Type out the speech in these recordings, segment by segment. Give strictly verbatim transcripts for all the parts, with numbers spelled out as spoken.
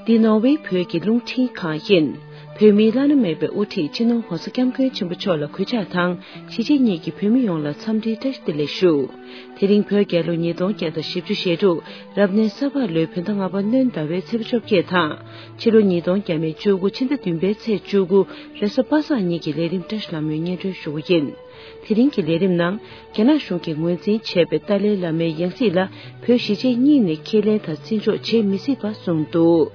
འདི་ནོར་ཝེ་བོད་ཀྱི་རླུང་འཕྲིན་ཁང་ཡིན། བོད་མིའི་བླ་ན་མེད་པའི་དབུ་ཁྲིད་སྤྱི་ནོར་༧གོང་ས་༧སྐྱབས་མགོན་ཆེན་པོ་མཆོག་ལ་གུས་ཕྱག་དང་གཞིས་བྱེས་གཉིས་ཀྱི་བོད་མི་ཡོངས་ལ་འཚམས་འདྲིའི་བཀྲ་ཤིས་བདེ་ལེགས་ཞུ། དེ་རིང་བོད་རྒྱལ་ལོ་ཉིས་སྟོང་བརྒྱ་དང་བཞི་བཅུ་ཞེ་དྲུག་རབ་གནས་ས་ཕག་ལོའི་བོད་ཟླ་ལྔ་པ་སྣྲོན་ཟླ་བའི་ཚེས་པ་བཅོ་བརྒྱད་དང་ཕྱི་ལོ་ཉིས་སྟོང་བརྒྱ་མེད་བཅུ་དགུ་ཕྱི་ཟླ་བདུན་པའི་ཚེས་བཅུ་དགུ་རེས་གཟའ་པ་སངས་ཉིན་གྱི་ལས་རིམ་བཀྲ་ཤིས་ལྷ་མོས་སྙན་སྒྲོན་ཞུ་རྒྱུ་ཡིན། དེ་རིང་གི་ལས་རིམ་ནང་རྒྱ་ནག་གཞུང་གིས་ངོས་འཛིན་བྱས་པའི་ཏཱ་ལའི་བླ་མའི་ཡང་སྲིད་ལ་བོད་གཞིས་བྱེས་གཉིས་ནས་ཁས་ལེན་དང་བརྩི་འཇོག་བྱེད་མི་སྲིད་པ་གསུངས་འདུག་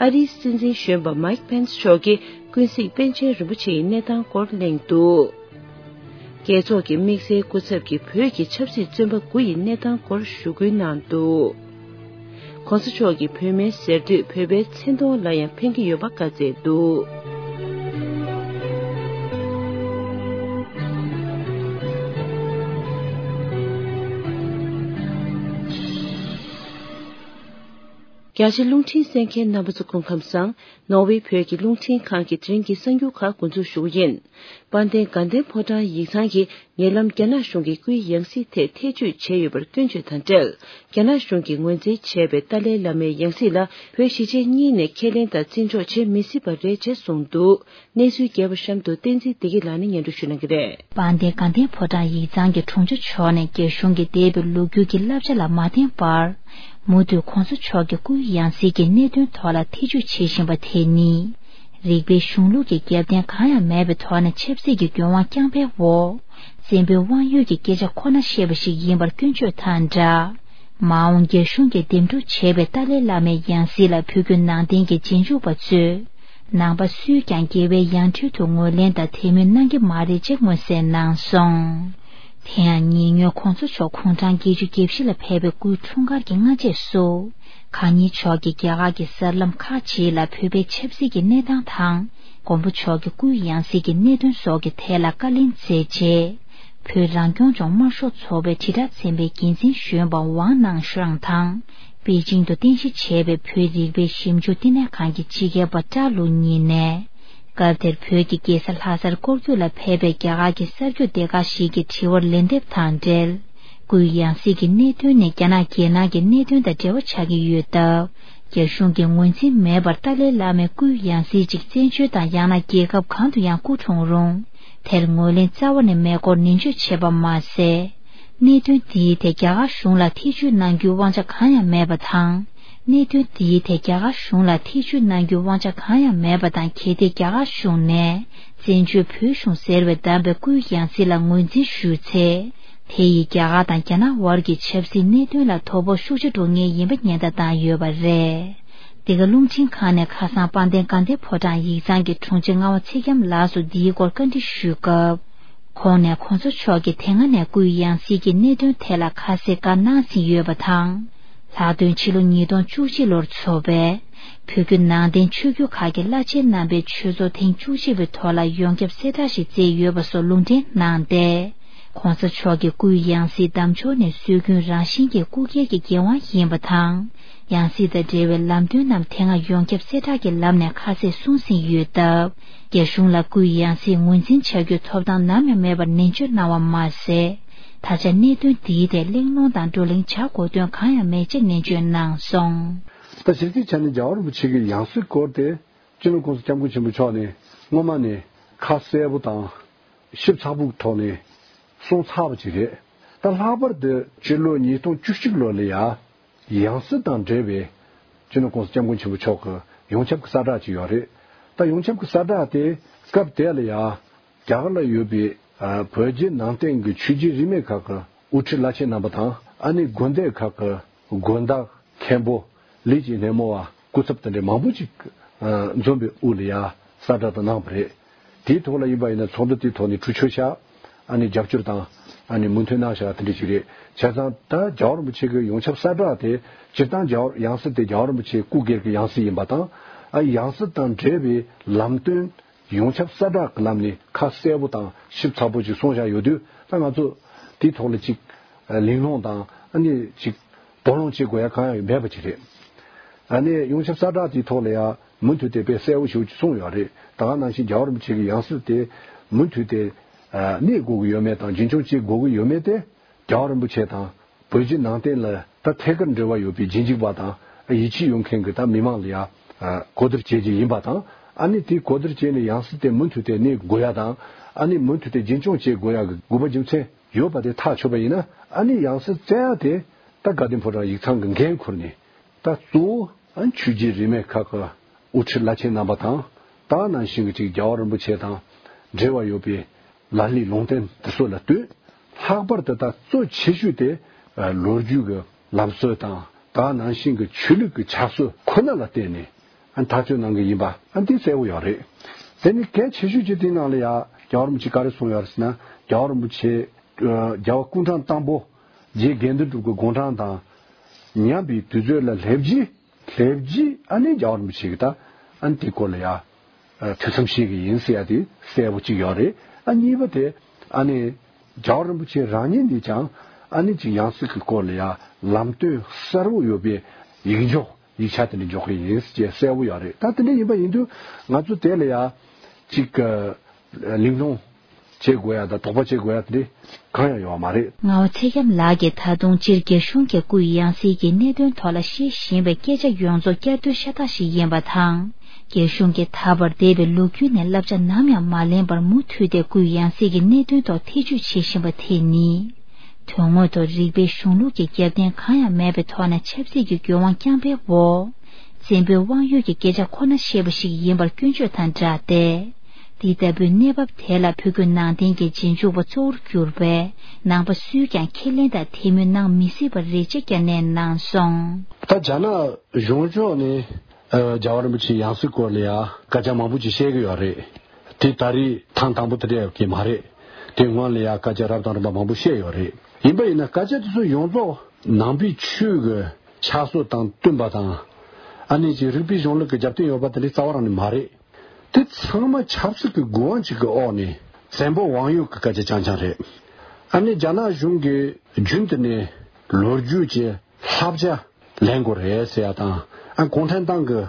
ཨ་རིའི་སྲིད་འཛིན་གཞོན་པ་མཱིག་པེན་སི་མཆོག་གིས་ཀུན་གཟིགས་པཎ་ཆེན་རིན་པོ་ཆེ་ཡི་གནས་སྟངས་སྐོར་གླེང་འདུག་རྒྱལ་ཚོགས་ཀྱི་དམིགས་བསལ་སྐུ་ཚབ་ཀྱིས་བོད་ཀྱི་ཆབ་སྲིད་བཙོན་པ་དགུ་ཡི་གནས་སྟངས་སྐོར་ཞུ་སྐུལ་གནང་འདུག ༸གོང་ས་མཆོག་གིས་བོད་སྨན་ཟེར་དུས་བོད་པའི་མཚན་མཐོང་ལ་ཡང་ཕན་གྱི་ཡོད་པ་བཀའ་སྩལ་འདུག་རྒྱ་ཆེ་རླུང་འཕྲིན་གསན་མཁན་རྣམ་པ་ཚོ་སྐུ་ཁམས་བཟང་། ནོར་ཝེ་བོད་ཀྱི་རླུང་འཕྲིན་ཁང་གི་དེ་རིང་གི་གསར་འགྱུར་ཁག་འགོ་འཛུགས་ཞུ་གི་ཡིན། དཔལ་ལྡན་དགའ་ལྡན་ཕོ་བྲང་ཡིག་ཚང་གིས་ཉེ་ལམ་རྒྱ་ནག་གཞུང་གི་སྐུའི་ཡང་སྲིད་ཐད་ཐེ་བྱུས་བྱས་ཡོད་པར་སྐྱོན་བརྗོད་དང་འབྲེལ། རྒྱ་ནག་གཞུང་གིས་ངོས་འཛིན་བྱས་པའི་ཏཱ་ལའི་བླ་མའི་ཡང་སྲིད་ལ་བོད་གཞིས་བྱེས་གཉིས་ནས་ཁས་ལེན་དང་བརྩི་འཇོག་བྱེད་མི་སྲིད་པ་རེད་ཅེས་གསུངས་འདུག་གནས་ཚུལ་རྒྱས་པ་གཤམ་དུ་བསྟན་འཛིན་བདེ་སྐྱིད་ལགས་ནས་སྙན་སྒྲོན་ཞུ་གནང་གི་རེད། དཔལ་ལྡན་དགའ་ལྡན་ཕོ་བྲང་ཡིག་ཚང་གི་དྲུང་ཆེ་མཆོག་ནས་རྒྱ་གཞུང་གིས་འདས་པའི་ལོ་རྒྱུས་ཀྱི་བསླབ་བྱ་ལ་མ་བརྟེན་པར། མུ་མཐུད་༸གོང་ས་མཆོག་གི་སྐུའི་ཡང་སྲིད་ཀྱི་གནད་དོན་ཐོག་ལ་ཐེ་བྱུས་བྱེད་བཞིན་པ་དེ་ནི། རིགས་པའི་གཞུང་ལུགས་ཀྱི་རྒྱབ་རྟེན་གང་ཡང་མེད་པའི་ཐོག་ནས་ཆབ་སྲིད་ཀྱི་འགྱུར་དབང་རྐྱང་པའི་འོག་བཙན་པོའི་དབང་ཡོད་ཀྱི་སྐད་ཆ་ཁོ་ན་བཤད་པ་ཞིག་ཡིན་པར་སྐྱོན་བརྗོད་དང་སྦྲགས། མ་འོངས་རྒྱ་གཞུང་གིས་འདེམས་སྒྲུག་བྱས་པའི་ཏཱ་ལའི་བླ་མའི་ཡང་སྲིད་ལ་བོད་བརྒྱུད་ནང་བསྟན་གྱི་རྗེས་འཇུག་པ་ཚོས། ནང་པ་སུས་ཀྱང་རྒྱལ་བའི་ཡང་སྤྲུལ་དུ་ངོས་ལེན་དང་དད་མོས་གནང་གི་མ་རེད་ཅེས་མངོན་གསལ་གནང་སོང་། དེ་ཡང་ཉེ་སྔོན་༸གོང་ས་མཆོག་དགུང་གྲངས་བརྒྱད་ཅུ་གྱ་བཞི་ལ་ཕེབས་པའི་སྐུའི་འཁྲུངས་སྐར་གྱི་སྔ་རྗེས་སུ། གང་ཉིད་མཆོག་གིས་རྒྱ་གར་གྱི་གསར་ལམ་ཁག་ཅིག་ལ་བོད་པའི་ཆབ་སྲིད་ཀྱི་གནས་སྟངས་དང་། མགོན་པོ་མཆོག་གི་སྐུའི་ཡང་སྲིད་ཀྱི་གནད་དོན་སོགས་ཀྱི་ཐད་ལ་བཀའ་ལན་སྩལ་རྗེས། བོད་རང་སྐྱོང་ལྗོངས་དམར་ཤོག་ཚོགས་པའི་དྲིལ་བསྒྲགས་ཚན་པའི་འགན་འཛིན་གཞོན་པ་ཝང་ནང་ཧྲང་དང་། པེ་ཅིང་དུ་རྟེན་གཞི་བྱས་པའི་བོད་རིག་པའི་ཞིབ་འཇུག་བསྟི་གནས་ཁང་གི་སྤྱི་ཁྱབ་པ་ཀྲ་ལུ་གཉིས་ནས། སྐབས་དེར་བོད་ཀྱི་རྒྱལ་ས་ལྷ་སར་སྐོར་སྐྱོད་ལ་ཕེབས་པའི་རྒྱ་གར་གྱི་གསར་འགོད་སྡེ་ཁག་ཞིག་གི་དྲི་བར་ལན་འདེབས་དང་འབྲེལ། སྐུའི་ཡང་སྲིད་ཀྱི་གནད་དོན་ནི་རྒྱ་ནག་རྒྱལ་ནང་གི་གནད་དོན་དང་འབྲེལ་བ་ཆགས་ཀྱི་ཡོད་སྟབས། རྒྱ་གཞུང་གིས་ངོས་འཛིན་མེད་པར་ཏཱ་ལའི་བླ་མའི་སྐུའི་ཡང་སྲིད་ཅིག་བཙན་བྱོལ་དང་ཡང་ན་རྒྱལ་ཁབ་གང་དུ་ཡང་སྐུ་འཁྲུངས་རུང་། དེར་ངོས་ལེན་རྩ་བ་ནས་མེད་སྐོར་ནན་བརྗོད་བྱས་པ་མ་ཟད། གནད་དོན་འདིའི་ཐད་རྒྱ་གར་གཞུང་ལ་ཐེ་བྱུས་གནང་རྒྱུའི་དབང་ཆ་གང་ཡང་མེད་པ་དང་། གནད་དོན་འདིའི་ཐད་རྒྱ་གར་གཞུང་ལ་ཐེ་བྱུས་གནང་རྒྱུའི་དབང་ཆ་གང་ཡང་མེད་པ་དང་། གལ་ཏེ་རྒྱ་གར་གཞུང་ནས་བཙན་བྱོལ་བོད་གཞུང་ཟེར་བས་བདམས་པའི་སྐུའི་ཡང་སྲིད་ལ་ངོས་འཛིན་ཞུས་ཚེ། དེ་ཡིས་རྒྱ་གར་དང་རྒྱ་ནག་དབར་གྱི་ཆབ་སྲིད་གནད་དོན་ལ་དོ་ཕོག་ཤུགས་ཆེ་འགྲོ་ངེས་ཡིན་པ་ཉེན་བརྡ་བཏང་ཡོད་པ་རེད། འདི་ག་རླུང་འཕྲིན་ཁང་ནས་ཁ་སང་དཔལ་ལྡན་དགའ་ལྡན་ཕོ་བྲང་ཡིག་ཚང་གི་དྲུང་ཆེ་རྔ་བ་ཚེ་རྒྱམ་ལགས་སུ་འདིའི་སྐོར་བཀའ་འདྲི་ཞུས་སྐབས། ཁོང་ནས་༸གོང་ས་མཆོག་གིས་དེ་སྔ་ནས་སྐུའི་ཡང་སྲིད་ཀྱི་གནད་དོན་ཐད་ལ་ཁ་གསལ་བཀའ་གནང་ཟིན་ཡོད་པ་དང་། ལྷག་དོན་ཕྱི་ལོ་ཉིས་སྟོང་བཅུ་གཅིག་ལོར་འཚོགས་པའི་བོད་བརྒྱུད་ནང་བསྟན་ཆོས་བརྒྱུད་ཁག་གི་བླ་ཆེན་རྣམ་པའི་ཆོས་ཚོགས་ཐེངས་བཅུ་གཅིག་པའི་ཐོག་ལ་ཡོངས་ཁྱབ་གསལ་བསྒྲགས་ཤིག་བསྩལ་ཡོད་པ་སོགས་ལུང་འདྲེན་གནང་སྟེ། ༸གོང་ས་མཆོག་གི་སྐུའི་ཡང་སྲིད་བདམས་ཕྱོགས་ནི་སྲོལ་རྒྱུན་རང་བཞིན་གྱི་སྐུ་སྒེར་གྱི་འགན་དབང་ཡིན་པ་དང་། ཡང་སྲིད་དང་འབྲེལ་བའི་ལམ་སྟོན་རྣམས་དེ་སྔ་ཡོངས་ཁྱབ་གསལ་བསྒྲགས་ཀྱི་ལམ་ནས་ཁ་གསལ་གསུངས་ཟིན་ཡོད་སྟབས། རྒྱ་གཞུང་ལ་སྐུའི་ཡང་སྲིད་ངོས་འཛིན་བྱ་རྒྱུའི་ཐོབ་ཐང་ནམ་ཡང་མེད་པར་ནན་བརྗོད་གནང་བ་མ་ཟད། ད་ཆ་གནད་དོན་འདིའི་ཐད་གླེང་སློང་དང་བགྲོ་གླེང་བྱ་དགོས་དོན་གང་ཡང་མེད་ཅེས་ནན་བརྗོད་གནང་སོང་། ད་གཞི་རྩའི་ཆ་ནས་རྒྱལ་བ་རིན་པོ་ཆེ་གི་ཡང་སྲིད་སྐོར་དེ་སྤྱི་ནོར་༸གོང་ས་༸སྐྱབས་མགོན་ཆེན་པོ་མཆོག་ནས་སྔོན་མ་ནས་ཁ་གསལ་པོ་དང་ཞིབ་ཚགས་པོའི་ཐོག་ནས་གསུངས་ཚར་བ་ཅིག་རེད། ད་ལྷག་པར་དུ་སྤྱི་ལོ་ཉིས་སྟོང་བཅུ་གཅིག་ལོ་ལ་ཡ། ཡང་སྲིད་དང་འབྲེལ་བའི་སྤྱི་ནོར་༸གོང་ས་༸སྐྱབས་མགོན་ཆེན་པོ་མཆོག་གི་ཡོངས་ཁྱབ་ཀྱི་གསལ་བསྒྲགས་ཅིག་ཡོད་རེད། ད་ཡོངས་ཁྱབ་ཀྱི་གསལ་བསྒྲགས་དེ་སྐབས་དེ་ལ་ཡ་རྒྱ་གར་ལ་ཡོད་པའི་ཨ་བོད་བརྒྱུད་ནང་བསྟན་གྱི་ཆོས་བརྒྱུད་རིས་མེད་ཁག་གི་དབུ་ཁྲིད་བླ་ཆེན་རྣམ་པ་དང་ཨ་ནི་དགོན་སྡེ་ཁག་གི་དགོན་བདག་མཁན་པོ་ལས་ཀྱི་སྣེ་མོ་བ་སྐུ་ཚབ་དེ་འདྲའི་མང་པོ་ཅིག་ཨ་འཛོམས་པའི་དབུ་ལ་ཡ་གསལ་བསྒྲགས་དེ་གནང་བ་རེད། དེའི་ཐོག་ལ་ཡིན་པ་ཡིན་ན་ཚོགས་འདུ་དེའི་ཐོག་ནས་གྲོས་ཆོད་བཞག་ཨ་ནི་རྒྱབ་སྐྱོར་དང་ཨ་ནི་མོས་མཐུན་གནང་བཞག་དེ་འདྲ་ཞིག་རེད། བྱས་ཙང་ད་རྒྱལ་བ་རིན་པོ་ཆེ་གི་ཡོངས་ཁྱབ་གསལ་བསྒྲགས་དེ་སྤྱིར་བཏང་རྒྱལ་བ་ཡང་སྲིད་དེ་རྒྱལ་བ་རིན་པོ་ཆེའི་སྐུ་སྒེར་གྱི་ཡང་སྲིད་ཡིན་པ་དང་ཨ་ཡང་སྲིད་དང་འབྲེལ་བའི་ལམ་སྟོན་ཡོངས་ཁྱབ་གསལ་བསྒྲགས་ཀྱི་ལམ་ནས་ཁ་གསལ་པོ་དང་ཞིབ་ཚགས་པོ་ཅིག་གསུངས་བཞག་ཡོད་དུས་ད་ང་ཚོ་དེའི་ཐོག་ལ་ཅིག་གླེང་སློང་དང་ཨ་ནི་ཅིག་དོགས་སློང་བྱེད་དགོས་ཡ་གང་ཡང་མེད་པ་ཅིག་རེད། ཨ་ནི་ཡོངས་ཁྱབ་གསལ་བསྒྲགས་དེའི་ཐོག་ལ་ཡང་མུ་མཐུད་དེ་དཔེ་གསལ་པོ་ཞེ་པོ་ཅིག་གསུངས་ཡོད་རེད། ད་ག་ནང་བཞིན་རྒྱལ་བ་རིན་པོ་ཆེ་གི་ཡང་སྲིད་དེ་མུ་མཐུད་དེ་གནས་དགོས་ཀྱི་ཡོད་མེད་དང་རྒྱུན་འཁྱོངས་བྱེད་དགོས་ཀྱི་ཡོད་མེད་དེ་རྒྱལ་བ་རིན་པོ་ཆེ་དང་བོད་བརྒྱུད་ནང་བསྟན་ལ་ད་ཐད་ཀར་འབྲེལ་བ་ཡོད་པའི་རྗེས་འཇུག་པ་དང་ ཡིད་ཆེས་ཡོད་མཁན་གྱི་ད་མི་མང་ལ་ཡ་གོ་བསྡུར་བྱེད་རྒྱུ་ཡིན་པ་དང་། ཨ་ནི་དེ་གོ་བསྡུར་བྱས་ནས་ཡང་སྲིད་དེ་མུ་མཐུད་དེ་གནས་དགོས་ཡ་དང་། ཨ་ནི་མུ་མཐུད་དེ་རྒྱུན་སྐྱོང་བྱེད་དགོས་ཡ་གི་དགོས་པ་རྒྱུ་མཚན་ཡོད་པ་དེ་ཐག་ཆོད་པ་ཡིན་ན། ཨ་ནི་ཡང་སྲིད་བཙལ་ཡ་དེ་ད་དགའ་ལྡན་ཕོ་བྲང་ཡིག་ཚང་གི་འགན་ཁུར་ནས། ད་གཙོ་བོ་ཨ་ནི་ཆོས་བརྒྱུད་རིས་མེད་ཁག་གི་དབུ་ཁྲིད་བླ་ཆེན་རྣམ་པ་དང་། ད་ནང་བཞིན་གྱི་ཅིག་རྒྱལ་བ་རིན་པོ་ཆེ་དང་འབྲེལ་བ་ཡོད་པའི་ལ་ལས་ལུང་བསྟན་དེ་ཚོ་ལ་ལྟོས། ལྷག་པར་དུ་ད་གཙོ་ཆེ་ཤོས་དེ་ལོ་རྒྱུས་ཀྱི་ལམ་སྲོལ་དང་། ད་ནང་བཞིན་གྱི་ཆོས་ལུགས་ཀྱི་ཆབ་སྲིད་ཁོ་ན་ལ་བརྟེན་ནས་ཨ་ཐག་གཅོད་གནང་གི་ཡིན་པ་ཨ་འདི་གསལ་བོ་ཡོད་རེད། དེ་ནི་གལ་ཆེ་ཤོས་ཀྱི་དེའི་ནང་ལ་ཡ་རྒྱལ་བ་རིན་པོ་ཆེ་ག་རེ་གསུངས་ཡོད་རེད་ཟེར་ན། རྒྱལ་བ་རིན་པོ་ཆེ་རྒྱལ་བ་སྐུ་ཕྲེང་དང་པོ་རྗེ་དགེ་འདུན་གྲུབ་ཀྱི་དགུང་གྲངས་དང་མཉམ་པའི་དུས་ཚོད་ལ་སླེབས་རྗེས། སླེབས་རྗེས་ཨ་ནི་རྒྱལ་བ་རིན་པོ་ཆེ་གིས་ད་ཨ་ནི་དེའི་སྐོར་ལ་ཡ་ཨ་ཐུགས་བསམ་བཞེས་ཀྱི་ཡིན་ཟེར་ཡ་དེ་གསལ་པོ་གཅིག་ཡོད་རེད། ཨ་གཉིས་པ་དེ་ཨ་ནི་རྒྱལ་བ་རིན་པོ་ཆེ་རང་ཉིད་ནས་ཀྱང་ཨ་ནི་ཅིག་ཡང་སྲིད་ཀྱི་སྐོར་ལ་ཡ་ལམ་སྟོན་གསལ་པོ་ཡོད་པའི་ཡིག་འཇོག་ཡིག་ཆ་དེ་འདྲ་འཇོག་གི་ཡིན་ཟེར་གསལ་པོ་ཡོད་རེད། ད་དེ་འདྲ་ཡིན་པ་ཡིན་དུས་ང་ཚོ་དེ་ལ་ཡ་ཅིག་གླེང་སློང་བྱེད་དགོས་ཡ་དང་དོགས་པ་བྱེད་དགོས་ཡ་དེ་འདྲ་གང་ཡང་ཡོད་མ་རེད། ངག་དབང་ཚེ་སྐྱབས་ལགས་ཀྱིས་ད་དུང་སྤྱིར་རྒྱ་གཞུང་གི་སྐུའི་ཡང་སྲིད་ཀྱི་གནད་དོན་ཐོག་ལ་བཤད་བཞིན་པའི་སྐད་ཆ་ཡོངས་རྫོགས་བསྐྱར་ཟློས་ཤ་སྟག་ཞིག་ཡིན་པ་དང་། རྒྱ་གཞུང་གིས་ད་བར་འདས་པའི་ལོ་རྒྱུས་ནས་བསླབ་བྱ་ནམ་ཡང་མ་ལེན་པར་མུ་མཐུད་དེ་སྐུའི་ཡང་སྲིད་ཀྱི་གནད་དོན་ཐོག་ཐེ་བྱུས་བྱེད་བཞིན་པ་དེ་ནི། དོན་དངོས་ཐོག་རིགས་པའི་གཞུང་ལུགས་ཀྱི་རྒྱབ་རྟེན་གང་ཡང་མེད་པའི་ཐོག་ནས་ཆབ་སྲིད་ཀྱི་འགན་དབང་བསྐྱངས་པའི་འོག་བཙན་པོའི་དབང་ཡོད་ཀྱི་སྐད་ཆ་ཁོ་ན་བཤད་པ་ཞིག་ཡིན་པར་སྐྱོན་བརྗོད་དང་སྦྲགས་ཏེ། འདི་ལྟ་བུའི་གནས་བབ་དེ་ལ་བོད་བརྒྱུད་ནང་བསྟན་གྱི་རྗེས་འཇུག་པ་གཙོ་བོར་གྱུར་པའི་ནང་པ་སུས་ཀྱང་ཁས་ལེན་དང་དད་མོས་གནང་མི་སྲིད་པར་རེ་ཆེ་བསྐྱར་ནན་གནང་སོང་། ད་རྒྱ་ནག་གཞུང་ཕྱོགས་ནས་ཨ་རྒྱལ་བ་རིན་པོ་ཆེའི་ཡང་སྲིད་སྐོར་ལ་ཡ་སྐད་ཆ་མང་པོ་ཅིག་བཤད་ཀྱི་ཡོད་རེད། དེ་ད་རེས་ཐེངས་དང་པོ་དེ་འདྲ་ཡོད་ཀྱི་མ་རེད། དེ་སྔོན་ལ་ཡ་སྐད་ཆ་རབ་དང་རིམ་པ་མང་པོ་བཤད་ཡོད་རེད། ཡིན་པ་ཡིན་ན་སྐད་ཆ་དེ་ཚོ་ཡོངས་རྫོགས་ནང་པའི་ཆོས་ཀྱི་ཆགས་སྲོལ་དང་བསྟུན་པ་དང་། ཨ་ནི་ཅིག་རིགས་པའི་གཞུང་ལུགས་ཀྱི་རྒྱབ་རྟེན་ཡོད་པ་དེ་འདྲ་རྩ་བ་རང་ནས་མ་རེད། དེ་ཚང་མ་ཆབ་སྲིད་ཀྱི་དགོས་དབང་ཅིག་གི་འོག་ནས་བཙན་པོ་དབང་ཡོད་ཀྱི་སྐད་ཆ་རྐྱང་རྐྱང་རེད། ཨ་ནི་རྒྱ་ནག་གཞུང་གིས་རྒྱུན་དུ་ནས་ལོ་རྒྱུས་ཀྱི་བསླབ་བྱ་ལེན་དགོས་རེད་ཟེར་ཡ་དང་། ཨ་གུང་ཁྲན་ཏང་གི་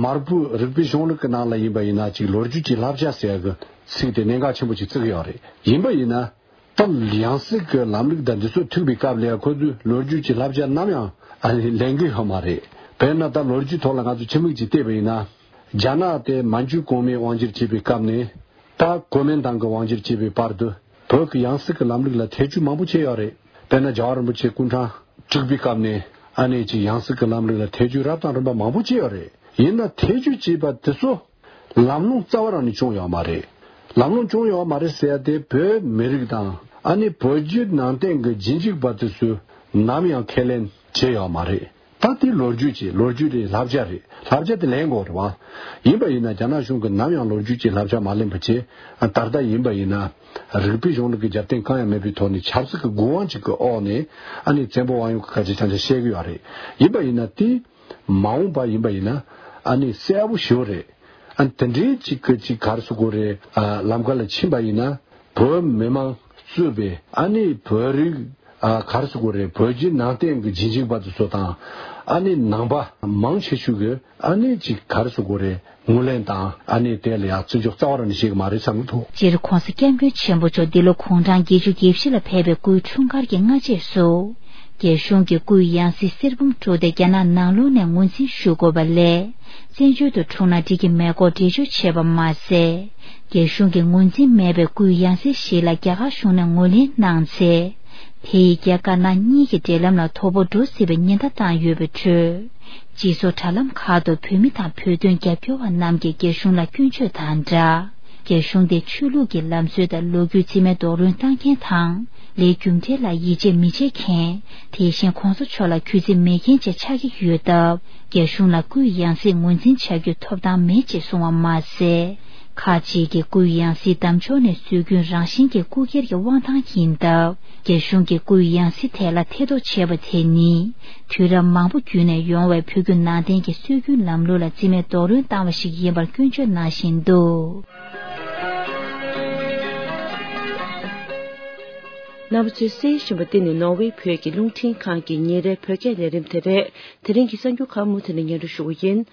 མར་པོའི་རིགས་པའི་གཞུང་ལུགས་ཀྱི་ནང་ལ་ཡིན་པ་ཡིན་ན་ཅིག་ལོ་རྒྱུས་ཀྱི་བསླབ་བྱ་ཟེར་ཡ་གི་ཚིག་དེ་གནད་འགག་ཆེན་པོ་ཅིག་བརྩི་གི་ཡོད་རེད། ཡིན་པ་ཡིན་ན། ད་ཡང་སྲིད་ཀྱི་ལམ་ལུགས་དང་འདི་ཚོ་ཐུག་པའི་སྐབས་ལ་ཡང་ཁོ་ཚོས་ལོ་རྒྱུས་ཀྱི་བསླབ་བྱ་ནམ་ཡང་ཨ་ནི་ལེན་གྱི་ཡོད་མ་རེད། དཔེར་ན་ད་ལོ་རྒྱུས་ཐོག་ལ་ང་ཚོ་ཕྱི་མིག་ཅིག་བལྟས་པ་ཡིན་ན། རྒྱ་ནག་དེ་མན་ཇུ་གོང་མའི་དབང་སྒྱུར་བྱེད་པའི་སྐབས་ནས་ད་གོ་མིན་ཏང་གི་དབང་སྒྱུར་བྱེད་པའི་བར་དུ་བོད་ཀྱི་ཡང་སྲིད་ཀྱི་ལམ་ལུགས་ལ་ཐེ་བྱུས་མང་པོ་བྱས་ཡོད་རེད། དཔེར་ན་རྒྱལ་བ་རིན་པོ་ཆེ་སྐུ་ཕྲེང་དྲུག་པའི་སྐབས་ནས་ཨ་ནི་ཅིག་ཡང་སྲིད་ཀྱི་ལམ་ལུགས་ལ་ཐེ་བྱུས་རབ་དང་རིམ་པ་མང་པོ་བྱས་ཡོད་རེད། ཡིན་ན་ཐེ་བྱུས་བྱས་པ་དེ་ཚོ། ལམ་ལྷོང་རྩ་བ་རང་ནས་བྱུང་ཡོད་མ་རེད། ལམ་ལྷོང་བྱུང་ཡོད་མ་རེད་ཟེར་ཡ་དེ་བོད་མི་རིགས་དང་ཨ་ནི་བོད་བརྒྱུད་ནང་བསྟན་གྱི་རྗེས་འཇུག་པ་དེ་ཚོས་ནམ་ཡང་ཁས་ལེན་བྱས་ཡོད་མ་རེད། ད་དེ་ལོ་རྒྱུས་ཀྱི་ལོ་རྒྱུས་རེད། བསླབ་བྱ་རེད། བསླབ་བྱ་དེ་ལེན་དགོས་རེད་བ། ཡིན་པ་ཡིན་ན་རྒྱ་ནག་གཞུང་གིས་ནམ་ཡང་ལོ་རྒྱུས་ཀྱི་བསླབ་བྱ་མ་ལེན་པ་བྱས། ད་ལྟ་ཡིན་པ་ཡིན་ན་རིགས་པའི་གཞུང་ལུགས་ཀྱི་རྒྱབ་རྟེན་གང་ཡང་མེད་པའི་ཐོག་ནས་ཆབ་སྲིད་ཀྱི་དགོས་དབང་ཅིག་གི་འོག་ནས་ཨ་ནི་བཙན་པོ་དབང་ཡོད་ཀྱི་སྐད་ཆ་ཆང་ཆང་བཤད་ཀྱི་ཡོད་རེད། ཡིན་པ་ཡིན་ན་དེ། མ་འོངས་པ་ཡིན་པ་ཡིན་ན་ཨ་ནི་གསལ་པོ་ཞེ་པོ་རེད། ཨ་ནི་དེ་འདྲའི་ཅིག་གི་ཅིག་ག་རེ་ཟེར་དགོས་རེད། ཨ་ལམ་ཁ་ལ་ཕྱིན་པ་ཡིན་ན་བོད་མི་མང་གཙོས་པའི་ཨ་ནི་བོད་རིགས་ཨ་ག་རེ་ཟེར་དགོས་རེད། བོད་བརྒྱུད་ནང་བསྟན་གྱི་རྗེས་འཇུག་པ་དེ་ཚོ་དང་ཨ་ནི་ནང་པ་མང་ཆེ་ཤོས་ཀྱི་ཨ་ནི་ཅིག་ག་རེ་ཟེར་དགོས་རེད། ངོས་ལེན་དང་ཨ་ནི་དེ་ལ་ཡང་བརྩི་འཇོག་རྩ་བ་རང་ནས་བྱེད་ཀྱི་མ་རེད་བསམ་གྱི་འདུག་སྤྱིར་༸གོང་ས་༸སྐྱབས་མགོན་ཆེན་པོ་མཆོག་འདི་ལོ་དགུང་གྲངས་བརྒྱད་ཅུ་གྱ་བཞི་ལ་ཕེབས་པའི་སྐུའི་འཁྲུངས་སྐར་གྱི་སྔ་རྗེས་སུ། རྒྱ་གཞུང་གིས་སྐུའི་ཡང་སྲིད་གསེར་བུམ་དཀྲོལ་ཏེ་རྒྱ་ནག་ནང་ལོགས་ནས་ངོས་འཛིན་ཞུ་དགོས་པ་ལས། བཙན་བྱོལ་དུ་འཁྲུངས་ན་འགྲིག་གི་མེད་སྐོར་འགྲེལ་བརྗོད་བྱས་པ་མ་ཟད། རྒྱ་གཞུང་གིས་ངོས་འཛིན་མེད་པའི་སྐུའི་ཡང་སྲིད་ཞིག་ལ་རྒྱ་གར་གཞུང་ནས་ངོས་ལེན་གནང་ཚེ། དེ་ཡིས་རྒྱ་དཀར་ནག་གཉིས་ཀྱི་འབྲེལ་ལམ་ལ་དོ་ཕོག་འགྲོ་སྲིད་པའི་ཉེན་བརྡ་བཏང་ཡོད་པའི་ཁྲོད། སྤྱི་ཚོགས་དྲ་ལམ་ཁག་ཏུ་བོད་མི་དང་བོད་དོན་རྒྱབ་སྐྱོར་བ་རྣམས་ཀྱིས་རྒྱ་གཞུང་ལ་སྐྱོན་བརྗོད་དང་སྦྲགས། རྒྱ་གཞུང་དེ་ཆོས་ལུགས་ཀྱི་ལམ་སྲོལ་དང་ལོ་རྒྱུས་རྩིས་མེད་རྡོག་རོལ་བཏང་མཁན་དང་། ལས་རྒྱུ་འབྲས་ལ་ཡིད་ཆེས་མི་བྱེད་མཁན། དེ་བཞིན་༸གོང་ས་མཆོག་ལ་གུས་བརྩི་མེད་མཁན་བཅས་ཆགས་ཀྱི་ཡོད་སྟབས། རྒྱ་གཞུང་ལ་སྐུའི་ཡང་སྲིད་ངོས་འཛིན་བྱ་རྒྱུ་ཐོབ་ཐང་མེད་ཅེས་གསུངས་པ་མ་ཟད། ཁག་ཅིག་གིས་སྐུའི་ཡང་སྲིད་བདམས་ཕྱོགས་ནས་སྲོལ་རྒྱུན་རང་བཞིན་གྱི་སྐུ་སྒེར་གྱི་དབང་ཐང་ཡིན་སྟབས། རྒྱ་གཞུང་གིས་སྐུའི་ཡང་སྲིད་ཐད་ལ་ཐེ་གཏོགས་བྱས་པ་དེ་ནི། དུས་རབས་མང་པོ་བརྒྱུད་ནས་ཡོང་བའི་བོད་བརྒྱུད་ནང་བསྟན་གྱི་སྲོལ་རྒྱུན་ལམ་ལུགས་ལ་རྩིས་མེད་རྡོག་རོལ་བཏང་བ་ཞིག་ཡིན་པར་སྐྱོན་བརྗོད་གནང་བཞིན་འདུག་རྣམ་པ་ཚོས་གསན་བཞིན་པ་འདི་ནི་ནོར་ཝེ་བོད་ཀྱི་རླུང་འཕྲིན་ཁང་གི་ཉིན་རེའི་བོད་སྐད་ལས་རིམ་དེ་རེད། དེ་རིང་གི་གསར་འགྱུར་ཁག་མུ་མཐུད་ནས་སྙན་སྒྲོན་ཞུ་གི་ཡིན།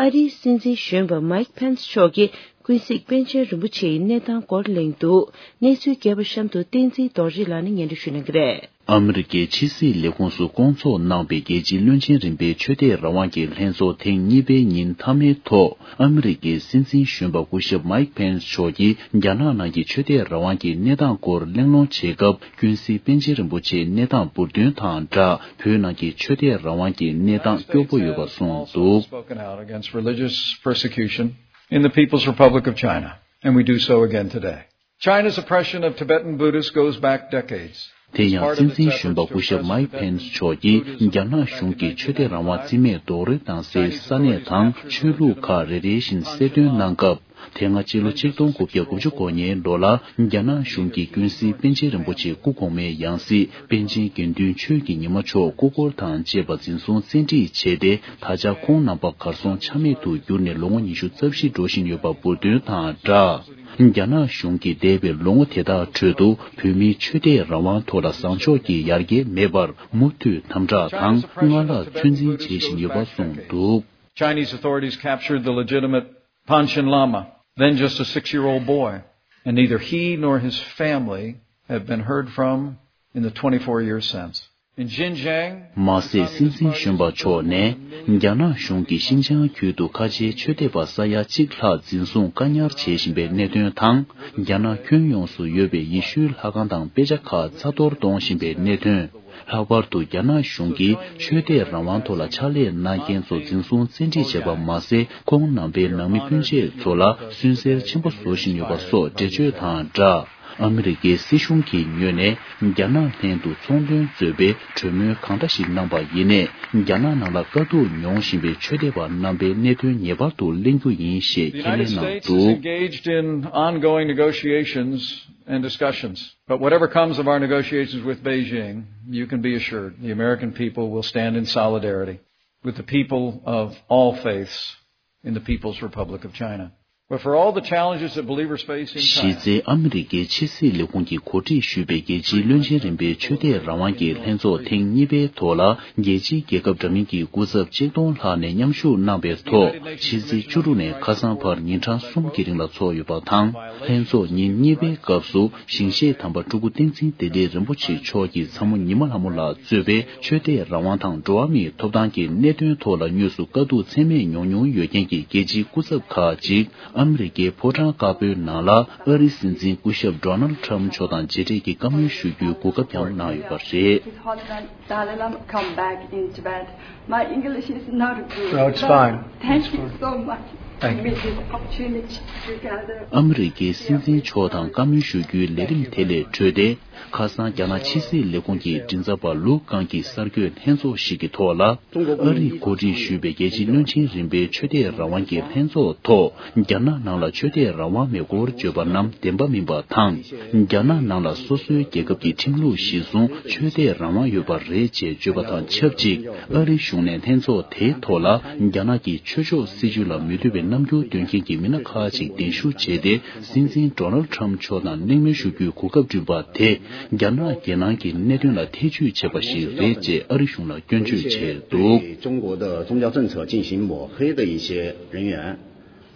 ཨ་རིའི་སྲིད་འཛིན་གཞོན་པ་མཱིག་ཕེན་སི་མཆོག་གིས་ཀུན་གཟིགས་པཎ་ཆེན་རིན་པོ་ཆེའི་གནས་སྟངས་སྐོར་གླེང་འདུག་གནས་ཚུལ་རྒྱས་པ་གཤམ་དུ་བསྟན་འཛིན་རྡོ་རྗེ་ལགས་ནས་སྙན་སྒྲོན་ཞུ་གནང་གི་རེད། ཨ་མི་རི་ཀའི་ཕྱི་སྲིད་ལས་ཁུངས་སུ་སྐོང་ཚོགས་གནང་བའི་རྒྱལ་སྤྱིའི་བློན་ཆེན་རིམ་པའི་ཆོས་དད་རང་དབང་གི་ལྷན་ཚོགས་ཐེངས་གཉིས་པའི་ཉིན་མཐའ་མའི་ཐོག་ཨ་མི་རི་ཀའི་སྲིད་འཛིན་གཞོན་པ་སྐུ་ཞབས་མའིག་ཕེན་སི་མཆོག་གིས་རྒྱ་ནག་ནང་གི་ཆོས་དད་རང་དབང་གི་གནས་སྟངས་སྐོར་གླེང་སློང་བྱེད་སྐབས། ཀུན་གཟིགས་པཎ་ཆེན་རིན་པོ་ཆེའི་གནས་སྟངས་འབུར་འདོན་དང་སྦྲགས། བོད་ནང་གི་ཆོས་དད་རང་དབང་གི་གནས་སྟངས་སྐྱོ་པོ་ཡོད་པ་གསུངས་འདུག། Spoken out against religious persecution in the People's Republic of China, and we do so again today. China's oppression of Tibetan Buddhists goes back decades. དེ་ཡང་སྲིད་འཛིན་གཞོན་པ་སྐུ་ཞབས་མའིག་ཕེན་སི་མཆོག་གིས་རྒྱ་ནག་གཞུང་གིས་ཆོས་དད་རང་དབང་རྩིས་མེད་རྡོག་རོལ་བཏང་སའི་ས་གནས་དང་ཆོས་ལུགས་ཁག་རེ་རེ་བཞིན་གསལ་སྟོན་གནང་སྐབས། དེ་སྔ་ཕྱི་ལོ་ཆིག་སྟོང་དགུ་བརྒྱ་དགུ་བཅུ་གོ་གཉིས་ལོ་ལ་རྒྱ་ནག་གཞུང་གིས་ཀུན་གཟིགས་པཎ་ཆེན་རིན་པོ་ཆེ་སྐུ་གོང་མའི་ཡང་སྲིད་པཎ་ཆེན་དགེ་འདུན་ཆོས་ཀྱི་ཉི་མ་མཆོག་སྐུ་འཁོར་དང་བཅས་པ་འཛིན་བཟུང་བཙན་ཁྲིད་བྱས་ཏེ། ད་ཆ་ཁོང་རྣམ་པ་གར་སོང་ཆ་མེད་དུ་གྱུར་ནས་ལོ་ངོ་ཉི་ཤུ་རྩ་བཞི་འགྲོ་བཞིན་ཡོད་པ་འབུར་འདོན་དང་སྦྲགས། རྒྱ་ནག་གཞུང་གིས་འདས་པའི་ལོ་ངོ་དེ་དག་ཁྲོད་དུ་བོད་མིའི་ཆོས་དད་རང་དབང་ཐོག་ལ་བཟང་ཕྱོགས་ཀྱི་ཡར་རྒྱས་མེད་པར་མུ་མཐུད་དམ་དྲག་དང་སྔར་ལྷག་ཚོད་འཛིན་བྱེད་བཞིན་ཡོད་པ་གསུངས་འདུག། Chinese authorities captured the legitimate Panchen Lama, then just a six-year-old boy, and neither he nor his family have been heard from in the twenty-four years since. In Xinjiang, མ་ཟད། སྲིད་འཛིན་གཞོན་པ་མཆོག་ནས་རྒྱ་ནག་གཞུང་གིས་ཤིན་ཅང་ཁུལ་དུ་ཁ་ཆེའི་ཆོས་དད་པ་ས་ཡ་གཅིག་ལྷག་འཛིན་བཟུང་བཀག་ཉར་བྱེད་བཞིན་པའི་གནད་དོན་དང་། རྒྱ་ནག་ཁྱོན་ཡོངས་སུ་ཡོད་པའི་ཡེ་ཤུའི་ལྷ་ཁང་དང་དཔེ་ཆ་ཁག་རྩ་གཏོར་གཏོང་བཞིན་པའི་གནད་དོན། ལྷག་པར་དུ་རྒྱ་ནག་གཞུང་གིས་ཆོས་དད་རང་དབང་ཐོག་ལ་ཕྱག་ལས་གནང་མཁན་ཚོ་འཛིན་བཟུང་བཙན་ཁྲིད་བྱས་པ་མ་ཟད། ཁོང་རྣམ་པའི་ནང་མི་སྤུན་མཆེད་ཚོ་ལ་སུན་གཙེར་ཆེན་པོ་བཟོ་བཞིན་ཡོད་པ་སོགས་འགྲེལ་བརྗོད་དང་སྦྲགས། ཨ་མི་རི་ཀའི་སྲིད་གཞུང་གི་ངོས་ནས་རྒྱ་ནག་ལྷན་དུ་ཚོང་དོན་གཙོས་པའི་གྲོས་མོལ་གང་འདྲ་ཞིག་གནང་པ་ཡིན་ནའི། རྒྱ་ནག་ནང་ལ་དཀའ་སྡུག་མྱོང་བཞིན་པའི་ཆོས་དད་པ་རྣམ་པའི་གནད་དོན་ངེས་པར་དུ་གླེང་རྒྱུ་ཡིན་ཞེས་ཁས་ལེན་གནང་འདུག། Engaged in ongoing negotiations and discussions. But whatever comes of our negotiations with Beijing, you can be assured the American people will stand in solidarity with the people of all faiths in the People's Republic of China. But for all the challenges that believers face in China, གཞི་རྩའི་ཨ་མི་རི་ཀའི་ཕྱི་སྲིད་ལས་ཁུངས་ཀྱིས་གོ་སྒྲིག་ཞུས་པའི་རྒྱལ་སྤྱིའི་བློན་ཆེན་རིམ་པའི་ཆོས་དད་རང་དབང་གི་ལྷན་ཚོགས་ཐེངས་གཉིས་པའི་ཐོག་ལ། རྒྱལ་སྤྱིའི་རྒྱལ་ཁབ་འདྲ་མིན་གྱི་སྐུ་ཚབ་ཆིག་སྟོང་ལྷག་ནས་མཉམ་ཞུགས་གནང་བའི་ཐོག་ཕྱི་ཚེས་བཅུ་དྲུག་ནས་ཁ་སང་བར་ཉིན་གྲངས་གསུམ་གྱི་རིང་ལ་ཚོགས་ཡོད་པ་དང་། ལྷན་ཚོགས་ཉིན་གཉིས་པའི་སྐབས་སུ་ཞིང་གཤེགས་དམ་པ་སྤྲུལ་སྐུ་བསྟན་འཛིན་བདེ་ལེགས་རིན་པོ་ཆེ་མཆོག་གིས་ཚ་མོ་ཉི་མ་ལྷ་མོ་ལགས་གཙོས་པའི་ཆོས་དད་རང་དབང་དང་འགྲོ་བ་མིའི་ཐོབ་ཐང་གི་གནད་དོན་ཐོག་ལ་དངོས་སུ་དཀའ་སྡུག་ཚད་མེད་མྱོང་མྱོང་ཡོད་མཁན་གྱི་རྒྱལ་སྤྱིའི་སྐུ་ཚབ་ཁག་ཅིག་ཨ་མི་རི་ཀའི་ཕོ་བྲང་དཀར་པོའི་ནང་ལ་ཨ་རིའི་སྲིད་འཛིན་སྐུ་ཞབས་ཌོ་ནལ་ཊམ་མཆོག་དང་མཇལ་འཕྲད་ཀྱིས་བཀའ་མོལ་ཞུ་རྒྱུའི་གོ་སྐབས་ཀྱང་གནང་ཡོད་པ་རེད། His Holiness Dalai Lama come back in Tibet. My English is not good. No, it's fine. Thank you so much. Thank you. Give me this opportunity to gather. ཨ་མི་རི་ཀའི་སྲིད་འཛིན་མཆོག་དང་བཀའ་མོལ་ཞུ་རྒྱུའི་ལས་རིམ་དེ་ལས་གྲོལ་ཏེ། ཁ་སང་རྒྱ་ནག་ཕྱི་སྲིད་ལས་ཁུངས་ཀྱི་མགྲིན་ཚབ་པ་ལུའུ་ཀང་གིས་གསར་འགོད་ལྷན་ཚོགས་ཤིག་གི་ཐོག་ལ། ཨ་རིས་གོ་སྒྲིག་ཞུས་པའི་རྒྱལ་སྤྱིའི་བློན་ཆེན་རིམ་པའི་ཆོས་དད་རང་དབང་གི་ལྷན་ཚོགས་ཐོག་རྒྱ་ནག་ནང་ལ་ཆོས་དད་རང་དབང་མེད་སྐོར་བརྗོད་པ་རྣམས་བདེན་པ་མིན་པ་དང་། རྒྱ་ནག་ནང་ལ་སོ་སོའི་རྒྱལ་ཁབ་ཀྱི་ཁྲིམས་ལུགས་གཞིར་བཟུང་ཆོས་དད་རང་དབང་ཡོད་པ་རེད་ཅེས་བརྗོད་པ་དང་ཆབས་ཅིག་ཨ་རིའི་གཞུང་ནས་ལྷན་ཚོགས་དེའི་ཐོག་ལ་རྒྱ་ནག་གི་ཆོས་ཕྱོགས་སྲིད་བྱུས་ལ་མི་འདོད་པའི་རྣམ་འགྱུར་སྟོན་མཁན་གྱི་མི་སྣ་ཁག་ཅིག་གདན་ཞུ་བྱས་ཏེ། སྲིད་འཛིན་ཌོ་ནལ་ཊམ་མཆོག་དང་གླེང་མོལ་ཞུ་རྒྱུའི་གོ་སྐབས་བསྐྲུན་པ་དེ། རྒྱ་ནག་རྒྱལ་ནང་གི་གནད་དོན་ལ་ཐེ་བྱུས་བྱས་པ་ཞིག་རེད་ཅེས་ཨ་རི་གཞུང་ལ་སྐྱོན་བརྗོད་བྱས་འདུག། 对中国的宗教政策进行抹黑的一些人员，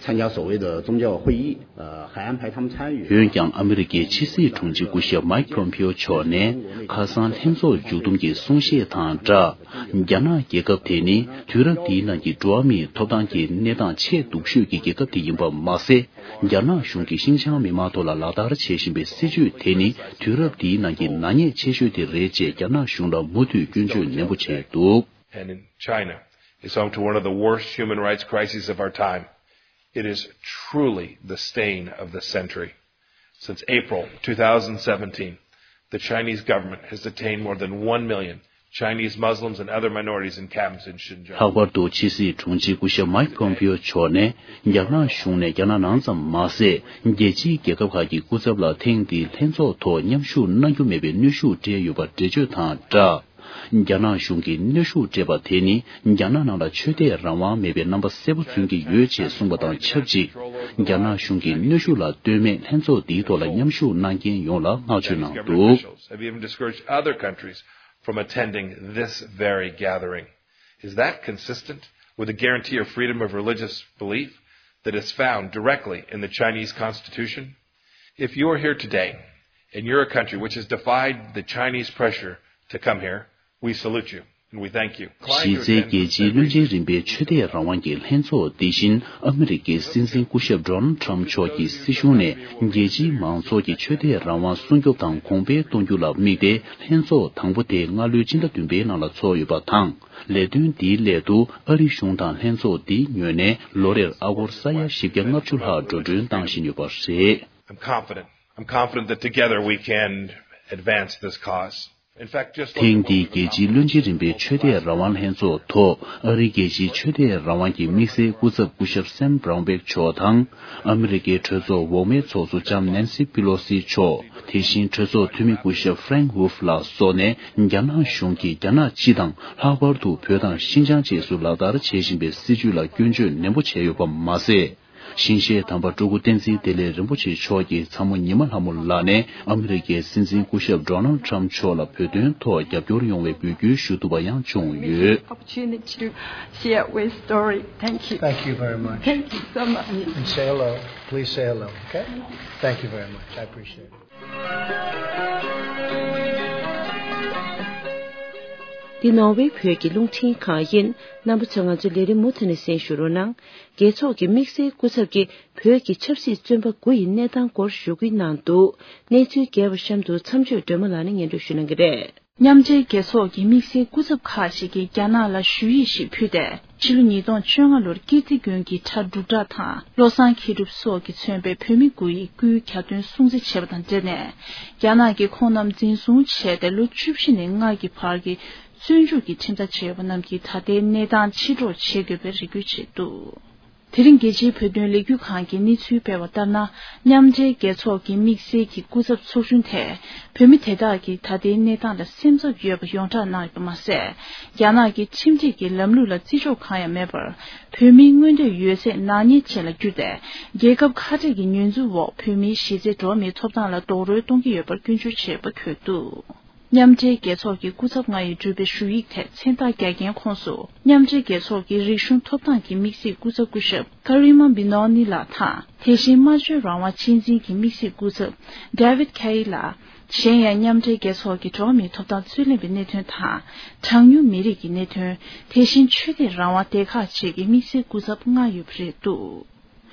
参加所谓的宗教会议，呃，还安排他们参与。 འོན་ཀྱང་ཨ་མི་རི་ཀའི་ཕྱི་སྲིད་དྲུང་ཆེ་སྐུ་ཞབས་མའིག་པོམ་པིའོ་མཆོག་ནས་ཁ་སང་ལྷན་ཚོགས་མཇུག་བསྡོམས་ཀྱི་གསུང་བཤད་དང་སྦྲགས། རྒྱ་ནག་རྒྱལ་ཁབ་དེ་ནི་དུས་རབས་འདིའི་ནང་གི་འགྲོ་བ་མིའི་ཐོབ་ཐང་གི་གནས་སྟངས་ཆེས་སྡུག་ཤོས་ཀྱི་རྒྱལ་ཁབ་དེ་ཡིན་པ་མ་ཟད། རྒྱ་ནག་གཞུང་གིས་ཤིན་ཅང་མི་མང་ཐོག་ལ་ལག་བསྟར་བྱེད་བཞིན་པའི་སྲིད་བྱུས་དེ་ནི་དུས་རབས་འདིའི་ནང་གི་ནག་ཉེས་ཆེ་ཤོས་དེ་རེད་ཅེས་རྒྱ་ནག་གཞུང་ལ་མུ་མཐུད་སྐྱོན་བརྗོད་ནན་པོ་བྱས་འདུག། And in China is home to one of the worst human rights crises of our time. It is truly the stain of the century. Since April two thousand seventeen, the Chinese government has detained more than one million Chinese Muslims and other minorities in camps in Xinjiang. ལྷག་པར་དུ་ཕྱི་སྲིད་དྲུང་ཆེ་སྐུ་ཞབས་མའིག་པོམ་པིའོ་མཆོག་ནས་རྒྱ་ནག་གཞུང་ནས་རྒྱ་ནག་ནང་ཙམ་མ་ཟད། རྒྱལ་སྤྱིའི་རྒྱལ་ཁབ་ཁག་གི་སྐུ་ཚབ་ལ་ཐེངས་འདིའི་ལྷན་ཚོགས་ཐོག་མཉམ་ཞུགས་གནང་རྒྱུ་མེད་པའི་གནོན་ཤུགས་སྤྲད་ཡོད་པར་འགྲེལ་བརྗོད་དང་སྦྲགས། རྒྱ་ནག་གཞུང་གིས་གནོན་ཤུགས་སྤྲད་པ་དེ་ནི་རྒྱ་ནག་ནང་ལ་ཆོས་དད་རང་དབང་མེད་པའི་རྣམ་པ་གསལ་པོ་མཚོན་གྱི་ཡོད་ཅེས་གསུངས་པ་དང་ཆབས་ཅིག་རྒྱ་ནག་གཞུང་གིས་གནོན་ཤུགས་ལ་ལྟོས་མེད་ལྷན་ཚོགས་འདིའི་ཐོག་ལ་མཉམ་ཞུགས་གནང་མཁན་ཡོངས་ལ་བསྔགས་བརྗོད་གནང་འདུག། Chinese government officials have even discouraged other countries from attending this very gathering. Is that consistent with the guarantee of freedom of religious belief that is found directly in the Chinese Constitution? If you are here today and you're a country which has defied the Chinese pressure to come here. We salute you and we thank you. གཞི་རྩའི་རྒྱལ་སྤྱིའི་བློན་ཆེན་རིམ་པའི་ཆོས་དད་རང་དབང་གི་ལྷན་ཚོགས་འདི་བཞིན་ཨ་མི་རི་ཀའི་སྲིད་འཛིན་སྐུ་ཞབས་Donald Trump་མཆོག་གི་སྲིད་གཞུང་ནས་རྒྱལ་སྤྱིའི་མང་ཚོགས་ཀྱི་ཆོས་དད་རང་དབང་སྲུང་སྐྱོབ་དང་གོང་འཕེལ་གཏོང་རྒྱུ་ལ་དམིགས་ཏེ། ལྷན་ཚོགས་དང་པོ་དེ་སྔ་ལོའི་ཕྱི་ཟླ་བདུན་པའི་ནང་ལ་ཚོགས་ཡོད་པ་དང་། ལས་དོན་འདིའི་སླད་དུ་ཨ་རི་གཞུང་དང་ལྷན་ཚོགས་འདིའི་ངོས་ནས་ལོ་རེར་ཨ་སྒོར་ས་ཡ་བཞི་བརྒྱ་ལྔ་བཅུ་ལྷག་འགྲོ་གྲོན་བཏང་བཞིན་ཡོད་པ་རེད། I'm confident. I'm confident that together we can advance this cause. In fact, just ཐེངས་འདིའི་རྒྱལ་སྤྱིའི་བློན་ཆེན་རིམ་པའི་ཆོས་དད་རང་དབང་ལྷན་ཚོགས་ཐོག་ཨ་རིའི་རྒྱལ་སྤྱིའི་ཆོས་དད་རང་དབང་གི་དམིགས་བསལ་སྐུ་ཚབ་སྐུ་ཞབས་Sam Brownback་མཆོག་དང་། ཨ་མི་རི་ཀའི་གྲོས་ཚོགས་འོག་མའི་ཚོགས་གཙོ་ལྕམ་Nancy Pelosi་མཆོག་དེ་བཞིན་གྲོས་ཚོགས་འཐུས་མི་སྐུ་ཞབས་Frank Wolf་ལ་སོགས་ནས། རྒྱ་ནག་གཞུང་གིས་རྒྱ་ནག་སྤྱི་དང་། ལྷག་པར་དུ་བོད་དང་ཤིན་ཅང་བཅས་སུ་ལག་བསྟར་བྱེད་བཞིན་པའི་སྲིད་བྱུས་ལ་སྐྱོན་བརྗོད་ནན་པོ་བྱས་ཡོད་པ་མ་ཟད། ཞིང་གཤེགས་དམ་པ་སྤྲུལ་སྐུ་བསྟན་འཛིན་བདེ་ལེགས་རིན་པོ་ཆེ་མཆོག་གིས་ཚ་མོ་ཉི་མ་ལྷ་མོ་ལགས་ནས་ཨ་མི་རི་ཀའི་སྲིད་འཛིན་སྐུ་ཞབས་Donald Trump་མཆོག་ལ་བོད་དོན་ཐོག་རྒྱབ་སྐྱོར་ཡོང་བའི་འབོད་སྐུལ་ཞུ་ཐུབ་པ་ཡང་བྱུང་ཡོད། Opportunity to share with story. Thank you. Thank you very much. Thank you so much. And say hello. Please say hello, okay? Thank you very much. I appreciate it. འདི་ནོར་ཝེ་བོད་ཀྱི་རླུང་འཕྲིན་ཁང་ཡིན། རྣམ་པ་ཚོས་ང་ཚོའི་ལས་རིམ་མུ་མཐུད་ནས་གསན་ཞུ་རོགས་གནང་། རྒྱལ་ཚོགས་ཀྱི་དམིགས་བསལ་སྐུ་ཚབ་ཀྱིས་བོད་ཀྱི་ཆབ་སྲིད་བཙོན་པ་དགུ་ཡི་གནས་སྟངས་སྐོར་ཞུ་སྐུལ་གནང་འདུག་གནས་ཚུལ་རྒྱས་པ་གཤམ་དུ་མཚམས་གཅོད་སྒྲོལ་མ་ལགས་ནས་སྙན་སྒྲོན་ཞུ་གནང་གི་རེད། མཉམ་འབྲེལ་རྒྱལ་ཚོགས་ཀྱི་དམིགས་བསལ་སྐུ་ཚབ་ཁག་ཅིག་གིས་རྒྱ་ནག་ལ་ཞུ་ཡིག་ཞིག་ཕུལ་ཏེ། ཕྱི་ལོ་ཉིས་སྟོང་བཅོ་ལྔ་ལོར་ཀིརྟི་དགོན་གྱི་གྲྭ་སྒྲུབ་གྲྭ་དང་བློ་བཟང་མཁས་གྲུབ་སོགས་ཀྱིས་མཚོན་པའི་བོད་མི་དགུ་ཡི་སྐུའི་གྱ་སྟོན་སྲུང་བརྩི་བྱས་པ་དང་འབྲེལ་ནས། རྒྱ་ནག་གིས་ཁོང་རྣམས་འཛིན་བཟུང་བྱས་ཏེ་ལོ་བཅུ་བཞི་ནས་ལྔ་གི་བར་གྱི་བཙོན་འཇུག་གི་ཁྲིམས་ཐག་བཅད་ཡོད་པ་རྣམས་ཀྱི་ད་ལྟའི་གནས་སྟངས་ཕྱིར་སྒྲོག་བྱེད་དགོས་པའི་རེ་སྐུལ་བྱས་འདུག་དེ་རིང་རྒྱལ་སྤྱིའི་བོད་དོན་ལས་འགུལ་ཁང་གིས་གནས་ཚུལ་སྤེལ་བ་ལྟར་ན། མཉམ་འབྲེལ་རྒྱལ་ཚོགས་ཀྱི་དམིགས་བསལ་གྱི་སྐུ་ཚབ་ཚོགས་ཆུང་དེས་བོད་མི་དེ་དག་གི་ད་ལྟའི་གནས་སྟངས་ལ་སེམས་འཚབ་ཡོད་པ་ཡོངས་གྲགས་གནང་ཡོད་པ་མ་ཟད། རྒྱ་ནག་གི་ཁྲིམས་སྒྲིག་གི་ལམ་ལུགས་ལ་བརྩི་འཇོག་གང་ཡང་མེད་པར། བོད་མིའི་མངོན་འདོད་ཡོད་ཚད་ནག་ཉེས་ཅན་ལ་བསྒྱུར་ཏེ། རྒྱལ་ཁབ་ཁ་བྲལ་གྱི་ཉེས་འཛུགས་འོག་བོད་མིའི་གཞི་རྩའི་འགྲོ་བ་མིའི་ཐོབ་ཐང་ལ་རྡོག་རོལ་གཏོང་གི་ཡོད་པར་སྐྱོན་བརྗོད་བྱས་པ་འཁོད་འདུག་མཉམ་འབྲེལ་རྒྱལ་ཚོགས་ཀྱི་སྐུ་ཚབ་ལྔ་ཡིས་བསྒྲུབས་པའི་ཞུ་ཡིག་དེ་མཚན་རྟགས་རྒྱག་མཁན་ཁོངས་སུ། མཉམ་འབྲེལ་རྒྱལ་ཚོགས་ཀྱི་རིག་གཞུང་ཐོབ་ཐང་གི་དམིགས་བསལ་སྐུ་ཚབ་སྐུ་ཞབས་Karima Benoni་ལགས་དང་། དེ་བཞིན་སྨྲ་བརྗོད་རང་དབང་གཅེས་འཛིན་གྱི་དམིགས་བསལ་སྐུ་ཚབ་David Kaye་ལགས། གཞན་ཡང་མཉམ་འབྲེལ་རྒྱལ་ཚོགས་ཀྱི་འགྲོ་བ་མིའི་ཐོབ་ཐང་རྩོད་ལེན་པའི་གནད་དོན་དང་། གྲངས་ཉུང་མི་རིགས་ཀྱི་གནད་དོན། དེ་བཞིན་ཆོས་དད་རང་དབང་སྡེ་ཁག་བཅས་ཀྱི་དམིགས་བསལ་སྐུ་ཚབ་ལྔ་ཡོད་པ་རེད་འདུག་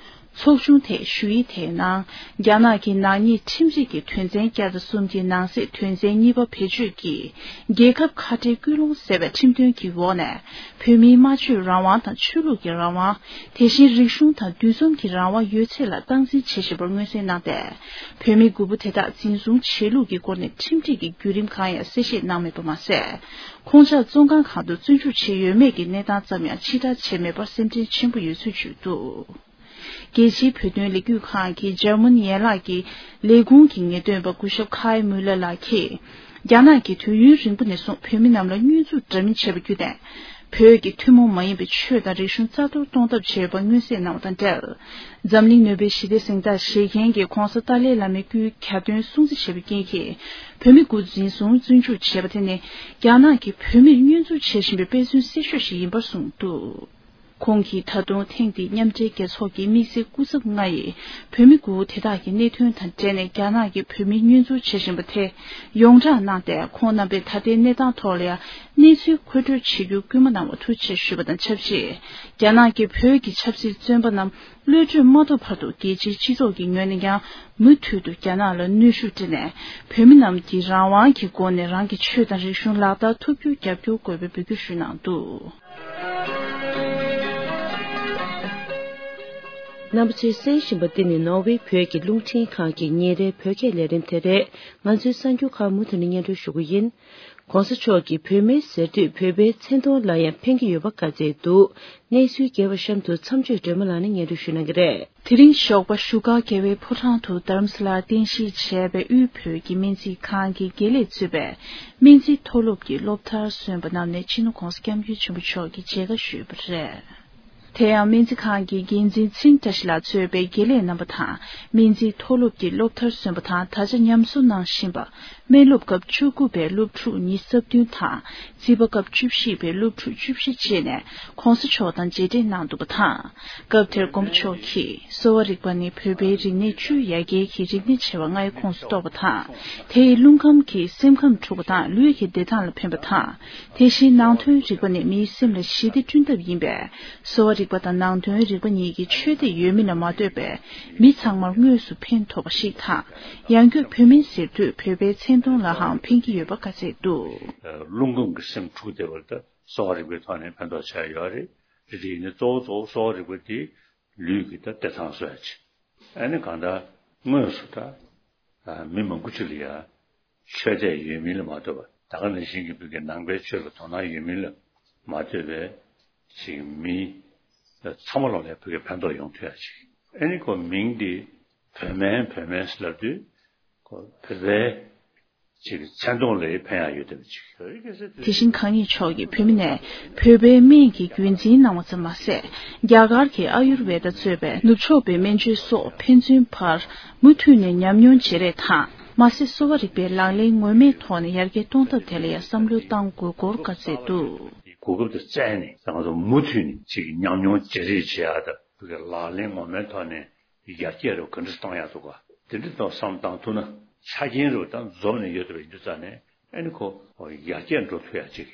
ཚོགས་ཆུང་དེས་ཞུ་ཡིག་དེའི་ནང་། རྒྱ་ནག་གི་ནག་ཉེས་ཁྲིམས་སྒྲིག་གི་དོན་ཚན་བརྒྱ་དང་གསུམ་གྱི་ནང་གསེས་དོན་ཚན་གཉིས་པ་བེད་སྤྱོད་ཀྱིས། རྒྱལ་ཁབ་ཁ་བྲལ་སྐུལ་སློང་ཟེར་བའི་ཁྲིམས་དོན་གྱི་འོག་ནས། བོད་མིའི་སྨྲ་བརྗོད་རང་དབང་དང་ཆོས་ལུགས་ཀྱི་རང་དབང་། དེ་བཞིན་རིག་གཞུང་དང་འདུ་འཛོམས་ཀྱི་རང་དབང་ཡོད་ཚད་ལ་སྟངས་འཛིན་བྱེད་བཞིན་པར་མངོན་གསལ་གནང་སྟེ། བོད་མི་དགུ་པོ་དེ་དག་འཛིན་བཟུང་བྱས་ལུགས་ཀྱི་སྐོར་ནས་ཁྲིམས་སྒྲིག་གི་བརྒྱུད་རིམ་གང་ཡང་གསལ་བཤད་གནང་མེད་པ་མ་ཟད། ཁོང་ཅག་བཙོན་ཁང་གང་དུ་བཙོན་འཇུག་བྱས་ཡོད་མེད་ཀྱི་གནས་སྟངས་ཙམ་ཡང་ཕྱིར་བསྒྲགས་བྱས་མེད་པར་སེམས་ཁྲལ་ཆེན་པོ་ཡོད་ཚུལ་བརྗོད་འདུག་རྒྱལ་སྤྱིའི་བོད་དོན་ལས་འགུལ་ཁང་གི་འཇར་མན་ཡན་ལག་གི་ལས་ཁུངས་ཀྱི་ངེས་སྟོན་པ་སྐུ་ཞབས་ཁའི་མུ་ལེ་ལགས་ཀྱིས། རྒྱ་ནག་གིས་དུས་ཡུན་རིང་པོ་ནས་བཟུང་བོད་མི་རྣམས་ལ་བསྙོན་འཛུགས་འདྲ་མིན་བྱས་པ་བརྒྱུད་ནས། བོད་ཀྱི་ཐུན་མོང་མ་ཡིན་པའི་ཆོས་དང་རིག་གཞུང་རྩ་གཏོར་གཏོང་ཐབས་བྱས་པ་མངོན་གསལ་གནང་བ་དང་འབྲེལ། འཛམ་གླིང་ནུས་པའི་ཞི་བདེ་གཟེངས་རྟགས་བཞེས་མཁན་གྱི་༧གོང་ས་ཏཱ་ལའི་བླ་མའི་སྐུའི་གྱ་སྟོན་སྲུང་བརྩི་བྱས་པའི་རྐྱེན་གྱིས། བོད་མི་དགུ་འཛིན་བཟུང་བཙོན་འཇུག་བྱས་པ་དེ་ནི། རྒྱ་ནག་གིས་བོད་མིར་བསྙོན་འཛུགས་བྱེད་བཞིན་པའི་དཔེ་མཚོན་གསལ་ཤོས་ཤིག་ཡིན་པར་གསུངས་འདུག་ཁོང་གིས་ད་དུང་ཐེངས་འདིའི་མཉམ་འབྲེལ་རྒྱལ་ཚོགས་ཀྱི་དམིགས་བསལ་སྐུ་ཚབ་ལྔ་ཡིས་བོད་མི་དགུ་དེ་དག་གི་གནད་དོན་དང་འབྲེལ་ནས་རྒྱ་ནག་གིས་བོད་མི་བསྙོན་འཛུགས་བྱེད་བཞིན་པ་དེ་ཡོངས་བསྒྲགས་གནང་སྟེ། ཁོང་རྣམ་པས་ད་ལྟའི་གནས་སྟངས་ཐོག་ལ་ཡང་གནས་ཚུལ་མཁོ་སྤྲོད་བྱེད་རྒྱུར་སྐུལ་མ་གནང་བར་ཐུགས་རྗེ་ཆེ་ཞུས་པ་དང་ཆབས་ཅིག་རྒྱ་ནག་གིས་བོད་ཀྱི་ཆབ་སྲིད་བཙོན་པ་རྣམས་གློད་གྲོལ་མ་ཐུབ་བར་དུ་རྒྱལ་སྤྱིའི་སྤྱི་ཚོགས་ཀྱི་ངོས་ནས་ཀྱང་མུ་མཐུད་དུ་རྒྱ་ནག་ལ་གནོན་ཤུགས་སྤྲད་ནས། བོད་མི་རྣམས་ཀྱིས་རང་དབང་གི་སྒོ་ནས་རང་གི་ཆོས་དང་རིག་གཞུང་ལག་བསྟར་ཐུབ་རྒྱུར་རྒྱབ་སྐྱོར་དགོས་པའི་འབོད་སྐུལ་ཞུས་གནང་འདུག་རྣམ་པ་ཚོས་གསན་བཞིན་པ་འདི་ནི་ནོར་ཝེ་བོད་ཀྱི་རླུང་འཕྲིན་ཁང་གི་ཉིན་རེའི་བོད་སྐད་ལས་རིམ་དེ་རེད། ང་ཚོའི་གསར་འགྱུར་ཁག་མུ་མཐུད་ནས་སྙན་སྒྲོན་ཞུ་གི་ཡིན། ༸གོང་ས་མཆོག་གིས་བོད་མིའི་ཟེར་དུས་བོད་པའི་མཚན་མཐོང་ལ་ཡང་ཕན་གྱི་ཡོད་པ་བཀའ་སྩལ་འདུག་གནས་ཚུལ་རྒྱས་པ་གཤམ་དུ་མཚམས་གཅོད་སྒྲོལ་མ་ལགས་ནས་སྙན་སྒྲོན་ཞུ་གནང་གི་རེད། དེ་རིང་ཞོགས་པ་བཞུགས་སྒར་རྒྱལ་བའི་ཕོ་བྲང་དུ་རྡ་རམ་ས་ལར་རྟེན་གཞི་བྱས་པའི་དབུས་བོད་ཀྱི་སྨན་རྩིས་ཁང་གི་དགེ་ལས་གཙོས་པའི་སྨན་རྩིས་མཐོ་སློབ་ཀྱི་སློབ་མཐར་སོན་པ་རྣམས་ནས་སྤྱི་ནོར་༸གོང་ས་༸སྐྱབས་མགོན་ཆེན་པོ་མཆོག་གི་མཇལ་ཁ་ཞུས་པ་རེད། དེ་ཡང་སྨན་རྩིས་ཁང་གི་འགན་འཛིན་ཚེ་རིང་བཀྲ་ཤིས་ལགས་གཙོས་པའི་དགེ་ལས་རྣམ་པ་དང་སྨན་རྩིས་མཐོ་སློབ་ཀྱི་སློབ་མཐར་སོན་པ་དང་ད་ཆ་ཉམས་གསོ་གནང་བཞིན་པ། སྨན་སློབ་སྐབས་བཅུ་དགུ་པའི་སློབ་ཕྲུག་ཉི་ཤུ་རྩ་བདུན་དང་རྩིས་པ་སྐབས་བཅུ་བཞི་པའི་སློབ་ཕྲུག་བཅུ་བཞི་བཅས་ནས་༸གོང་ས་མཆོག་དང་མཇལ་འཕྲད་གནང་འདུག་པ་དང་། སྐབས་དེར་མགོན་པོ་མཆོག་གིས་གསོ་བ་རིག་པ་ནི་བོད་པའི་རིག་གནས་བཅུ་ཡ་གྱལ་གྱི་རིག་གནས་ཆེ་བ་ལྔའི་ཁོངས་སུ་གཏོགས་པ་དང་། དེ་ཡིས་རླུང་ཁམས་ཀྱིས་སེམས་ཁམས་འཁྲུག་པ་དང་ལུས་ཀྱི་བདེ་ཐང་ལ་ཕན་པ་དང་། དེ་བཞིན་ནང་དོན་རིག་པ་ནི་མིའི་སེམས་ལ་ཞི་བདེ་བསྐྲུན་ཐབས་ཡིན་པས། གསོ་བ་རིག་པ་དང་ནང་དོན་རིག་པ་གཉིས་ཀྱི་ཆོས་དད་ཡོད་མིན་ལ་མ་ལྟོས་པའི་མི་ཚང་མར་དངོས་སུ་ཕན་ཐོགས་པ་ཞིག་དང་། ཡང་སྒོས་བོད་སྨན་ཟེར་དུས་བོད་པའི་མཚན་མཐོང་ལ་འང་ཕན་གྱི་ཡོད་པ་བཀའ་སྩལ་འདུག། རླུང་ཁམས་ཀྱི་སེམས་འཁྲུག་བསྡད་པར་ད་གསོ་བ་རིག་པའི་ཐོག་ནས་ཕན་ཐོགས་ཆགས་ཡོད་རེད། རེད་དེ་ཡིན་ན་གཙོ་བོ་གཙོ་བོ་གསོ་བ་རིག་པ་དེ་ལུས་ཀྱི་ད་བདེ་ཐང་གསོ་ཡ་ཆེད། ཨ་ནི་གང་ལྟར་དངོས་སུ་ད་མི་མང་པོ་ཅིག་ལ་ཡ་ཆོས་དད་ཡོད་མིན་ལ་མ་ལྟོས་པར་ད་ག་ནང་བཞིན་གྱི་བོད་ཀྱི་ནང་པའི་ཆོས་ལ་དོ་སྣང་ཡོད་མིན་ལ་མ་ལྟོས་པའི་ཅིག་མི་ཚང་མ་ལོག་ལ་བོད་ཀྱི་ཕན་ཐོགས་ཡོང་ཐུབ་ཡ་ཅིག། ཨ་ནི་ཁོ་མིང་འདི་བོད་སྨན་བོད་སྨན་ཟེར་ལབ་དུས་ཁོ་བོད་པའི་ཅིག་མཚན་མཐོང་ལ་ཕན་ཡ་ཡོད་བསྡད་པ་ཅིག། དེ་བཞིན་གང་ཉིད་མཆོག་གིས་བོད་མི་ནས་བོད་པའི་སྨན་གྱི་རྒྱུན་འཛིན་གནང་བ་ཙམ་མ་ཟད། རྒྱ་གར་གྱི་ཨ་ཡུར་ཝེ་ད་གཙོས་པའི་ནུབ་ཕྱོགས་པའི་སྨན་བཅོས་སོགས་ཕན་ཚུན་བར་མུ་མཐུད་ནས་ཉམས་མྱོང་བརྗེ་རེས་དང་མ་ཟད་གསོ་བ་རིག་པའི་ལག་ལེན་ངོ་མའི་ཐོག་ནས་ཡར་རྒྱས་གཏོང་ཐབས་ཐད་ལ་ཡང་བསམ་བློ་གཏང་དགོས་སྐོར་བཀའ་སྩལ་འདུག། གོ་སྐབས་དེ་བཙལ་ནས་ང་ཚོ་མུ་མཐུད་ནས་ཅིག་ཉམས་མྱོང་བརྗེ་རེས་བྱེད་ཡ་དང་བོད་ཀྱི་ལག་ལེན་ངོ་མའི་ཐོག་ནས་ཡར་རྒྱས་རུ་ག་འདྲ་གཏོང་ཡ་འདུག་ག། དེ་འདྲ་དང་བསམ་བཏང་ཐུབ་ན་ཆ་རྐྱེན་རུ་དང་འཛོམས་ནས་ཡོད་པའི་ཡིན་དུས་ཙང་ནས་ཨ་ནི་ཁོ་ཡར་རྒྱས་འགྲོ་ཐུབ་ཡ་ཅིག་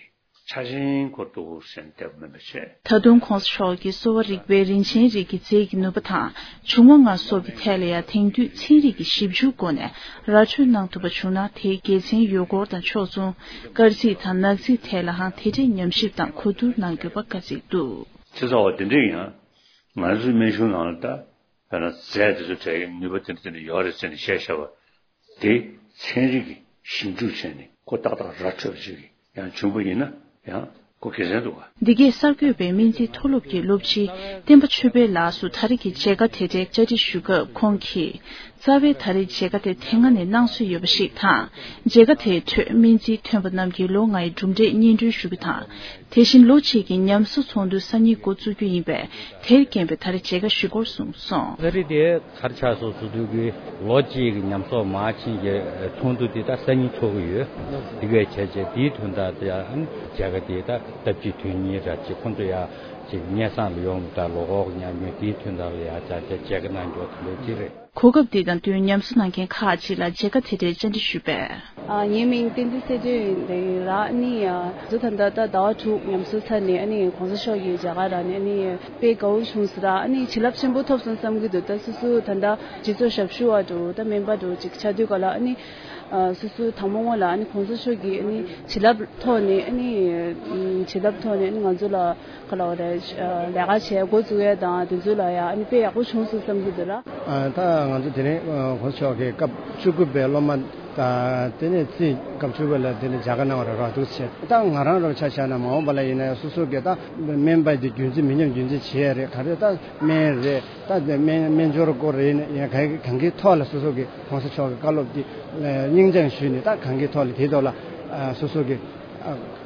ཆ་རྐྱེན་ཁོ་འདུག་ཟེར་བསྡད་པ་མིན་པ་བྱས། ད་དུང་གོང་ས་མཆོག་གིས་གསོ་བ་རིག་པའི་རིན་ཆེན་རིགས་ཀྱི་རྫས་ཀྱི་ནུས་པ་དང་འབྱུང་བ་ལྔ་སོགས་ཀྱི་ཐད་ལ་ཡང་དེང་དུས་ཚན་རིག་གི་ཞིབ་འཇུག་སྒོ་ནས་ར་སྤྲོད་གནང་ཐུབ་པ་བྱུང་ན་དེའི་དགེ་མཚན་ཡོད་སྐོར་དང་ཕྱོགས་མཚུངས་སྐར་རྩིས་དང་ནག་རྩིས་ཐད་ལའང་དེ་འདྲའི་ཉམས་ཞིབ་དང་གོ་བསྡུར་གནང་དགོས་པ་བཀའ་སྩལ་འདུག། ཆེ་ས་བ་དེ་འདྲའི་ཡང་ང་ཚོའི་སྨན་གཞུང་ནང་ལ་ད་དཔེར་ན་རྫས་དེ་ཚོ་དེ་གའི་ནུས་པ་དེ་འདྲ་དེ་འདྲ་ཡོད་རེད་ཟེར་ནས་བཤད་བཞག་པ་དེ་ཚན་རིག་གི་ཞིབ་འཇུག་བྱས་ནས་ཁོ་ཏག་ཏག་ར་འཕྲོད་པ་ཞིག་ཡང་བྱུང་པ་ཡིན་ན་ཡང་ཁོ་དགེ་མཚན་འདུག་ག། འདི་གས་གསར་འགོད་པས་སྨན་རྩིས་མཐོ་སློབ་ཀྱི་སློབ་སྤྱི་བསྟན་པ་ཆོས་འཕེལ་ལགས་སུ་ད་རེས་ཀྱི་མཇལ་ཁ་དེ་འདྲའི་བཅར་འདྲི་ཞུ་སྐབས་ཁོང་གིས། རྩ་བའི་ད་རེས་མཇལ་ཁ་དེ་དེ་སྔ་ནས་གནང་སྲོལ་ཡོད་པ་ཞིག་དང་། མཇལ་ཁ་དེའི་ཁྲོད་སྨན་རྩིས་ཐོན་པ་རྣམས་ཀྱིས་ལོ་ལྔའི་གྲུབ་འབྲས་སྙན་སྒྲོན་ཞུ་རྒྱུ་དང་། དེ་བཞིན་ལོ་གཅིག་གི་ཉམས་གསོ་ཚོགས་འདུ་སང་ཉིན་འགོ་བཙུགས་རྒྱུ་ཡིན་པས། དེར་བརྟེན་པའི་ད་རེས་མཇལ་ཁ་ཞུ་སྐོར་གསུངས་སོང་། ད་རེས་དེ་ག་རེ་ཆགས་སོང་ཟེར་དུས་ཀྱི་ལོ་གཅིག་གི་ཉམས་གསོག་མ་ཕྱིན་གྱི་ཚོགས་འདུ་དེ་ད་སང་ཉིན་ཚོགས་ཀྱི་ཡོད། དེ་གས་བྱས་བྱས་དེའི་དོན་དག་དེ་ཡང་མཇལ་ཁ་དེ་ད་སྟབས་གཅིག་དོན་གཉིས་ར་ཅིག་ཁོང་ཚོ་ཡ་ཅིག་སྙན་སེང་ལ་ཡོང་ད་ལོ་འཁོར་གྱི་ཉམས་མྱོང་དེའི་དོན་དག་ལ་ཡ་ཅག་ཅག་མཇལ་ཁ་གནང་རྒྱུ་དེ་འདྲ་ཅིག་རེད། གོ་སྐབས་འདི་དང་བསྟུན་ཉམས་གསོ་གནང་མཁན་ཁག་ཅིག་ལ་མཇལ་ཁ་དེ་འདྲའི་བཅར་འདྲི་ཞུས་པས། ཨ། ངའི་མིང་བསྟན་འཛིན་ཚེ་བརྟན་ཡིན་ལ། ཨ་ནི་ང་ཚོ་ད་ལྟ་ད་ཟླ་བ་དྲུག་ཉམས་གསོ་ཚར་ནས་ཨ་ནི་གོང་ས་མཆོག་གིས་མཇལ་ཁ་རག་ནས་ཨ་ནི་དཔེ་དགའ་བོ་བྱུང་སོང་། ད་ཨ་ནི་བྱིན་རླབས་ཆེན་པོ་ཐོབ་སོང་བསམ་གྱི་འདུག། ད་སོ་སོ་ད་ལྟ་སྤྱི་ཚོགས་ཞབས་ཞུ་བ་འདྲ་བོ་ད་སྨན་པ་འདྲ་བོ་ཅིག་ཆགས་དུས་ག་ལ་ཨ་ནི་སོ་སོ་དང་པོ་སྔོན་ལ་ཨ་ནི་གོང་ས་མཆོག་གིས་ཨ་ནི་བྱིན་རླབས་ཐོག་ནས་ཨ་ནི་བྱིན་རླབས་ཐོག་ནས་ཨ་ནི་ང་ཚོ་ལ། ག་ལ་བ་རེད། ལས་ཀ་བྱས་འགོ་བཙུགས་ཡས་དང་དེ་ཚོ་ལ་ཡང་ཨ་ནི་དཔེ་ཡག་པོ་བྱུང་སོང་བསམ་གྱི་འདུག་ལ། ད་ང་ཚོ་དེ་རིང་གོང་ས་མཆོག་གིས་སྐབས་བཅུ་དགུ་པའི་སློབ་མ་དང་དེ་ནས་རྩིས་སྐབས་བཅུ་དགུ་ལ་དེ་ནས་མཇལ་ཁ་གནང་བ་རེད་ར། འདུག་བྱས་ད་ང་རང་རང་ཆ་བཞག་ན་མ་འོངས་པ་ལ་ཡིན་ན་ཡང་སོ་སོ་གིས་ད་སྨན་པ་དེ་རྒྱུན་འཛིན་མི་ཉམས་རྒྱུན་འཛིན་བྱེད་ཡས་རེད། ག་རེ་ད་སྨན་རེད། ད་དེ་སྨན་སྨན་སྦྱོར་སྐོར་རེད། ཡིན་ན་ཡང་གང་གང་གའི་ཐོག་ལ་སོ་སོ་གིས་གོང་ས་མཆོག་གི་བཀའ་སློབ་དེ་སྙིང་བཅངས་ཞུས་ནས་ད་གང་གའི་ཐོག་ལ་དེའི་ཐོག་ལ་སོ་སོ་གིས་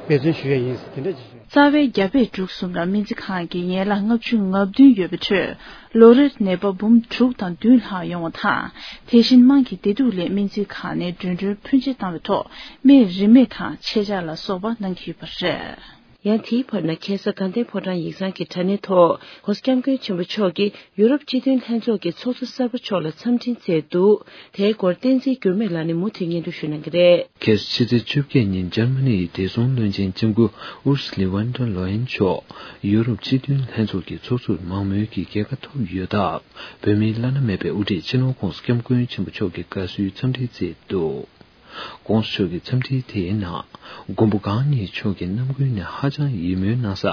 འབད་བརྩོན་ཞུ་ཡས་ཡིན། དེ་འདྲ་ཅིག་ཞུ། རྩ་བའི་རྒྱ་བལ་འབྲུག་གསུམ་ལ་སྨན་རྩིས་ཁང་གི་ཡན་ལག་ལྔ་བཅུ་ང་བདུན་ཡོད་པའི་ཁྲོད་ལོ་རེར་ནད་པ་འབུམ་དྲུག་དང་བདུན་ལྷག་ཡོང་བ་དང་། དེ་བཞིན་དམངས་ཀྱི་བདེ་སྡུག་སླད་སྨན་རྩིས་ཁང་ནས་མགྲོན་ཁྲོད་ཕོན་ཆེ་བཏང་བའི་ཐོག་སྨན་རིན་མེད་དང་ཆད་འཇལ་ལ་སོགས་པ་གནང་གི་ཡོད་པ་རེད། ཡང་དེའི་བར་ན་ཁ་སང་དགའ་ལྡན་ཕོ་བྲང་ཡིག་ཚང་གི་དྲ་གནས་ཐོག་༸གོང་ས་༸སྐྱབས་མགོན་ཆེན་པོ་མཆོག་གིས་ཡུ་རོབ་སྤྱི་མཐུན་ལྷན་ཚོགས་ཀྱི་ཚོགས་གཙོ་གསར་པ་མཆོག་ལ་འཚམས་འཕྲིན་བསྩལ་འདུག། དེའི་སྐོར་བསྟན་འཛིན་འགྱུར་མེད་ལགས་ནས་མུ་མཐུད་སྙན་སྒྲོན་ཞུ་གནང་གི་རེད། ཁ་སང་ཕྱི་ཚེས་བཅོ་བརྒྱད་ཉིན་འཇར་མ་ནི་ཡི་བདེ་སྲུང་བློན་ཆེན་ལྕམ་སྐུ་ཨུར་སི་ལི་ཝན་ཌར་ལོ་ཡན་མཆོག་ཡུ་རོབ་སྤྱི་མཐུན་ལྷན་ཚོགས་ཀྱི་ཚོགས་གཙོར་མང་མོས་ཀྱིས་རྒྱལ་ཁ་ཐོབ་ཡོད་སྟབས། བོད་མིའི་བླ་ན་མེད་པའི་དབུ་ཁྲིད་སྤྱི་ནོར་༸གོང་ས་༸སྐྱབས་མགོན་ཆེན་པོ་མཆོག་གི་དགའ་བསུའི་འཚམས་འཕྲིན་བསྩལ་འདུག། ༸གོང་ས་མཆོག་གི་འཚམས་འཕྲིན་དེའི་ནང་། མགོན་པོ་གང་ཉིད་མཆོག་གི་རྣམ་ཀུན་ནས་ཧ་ཅང་ཡིད་སྨོན་གནང་ས།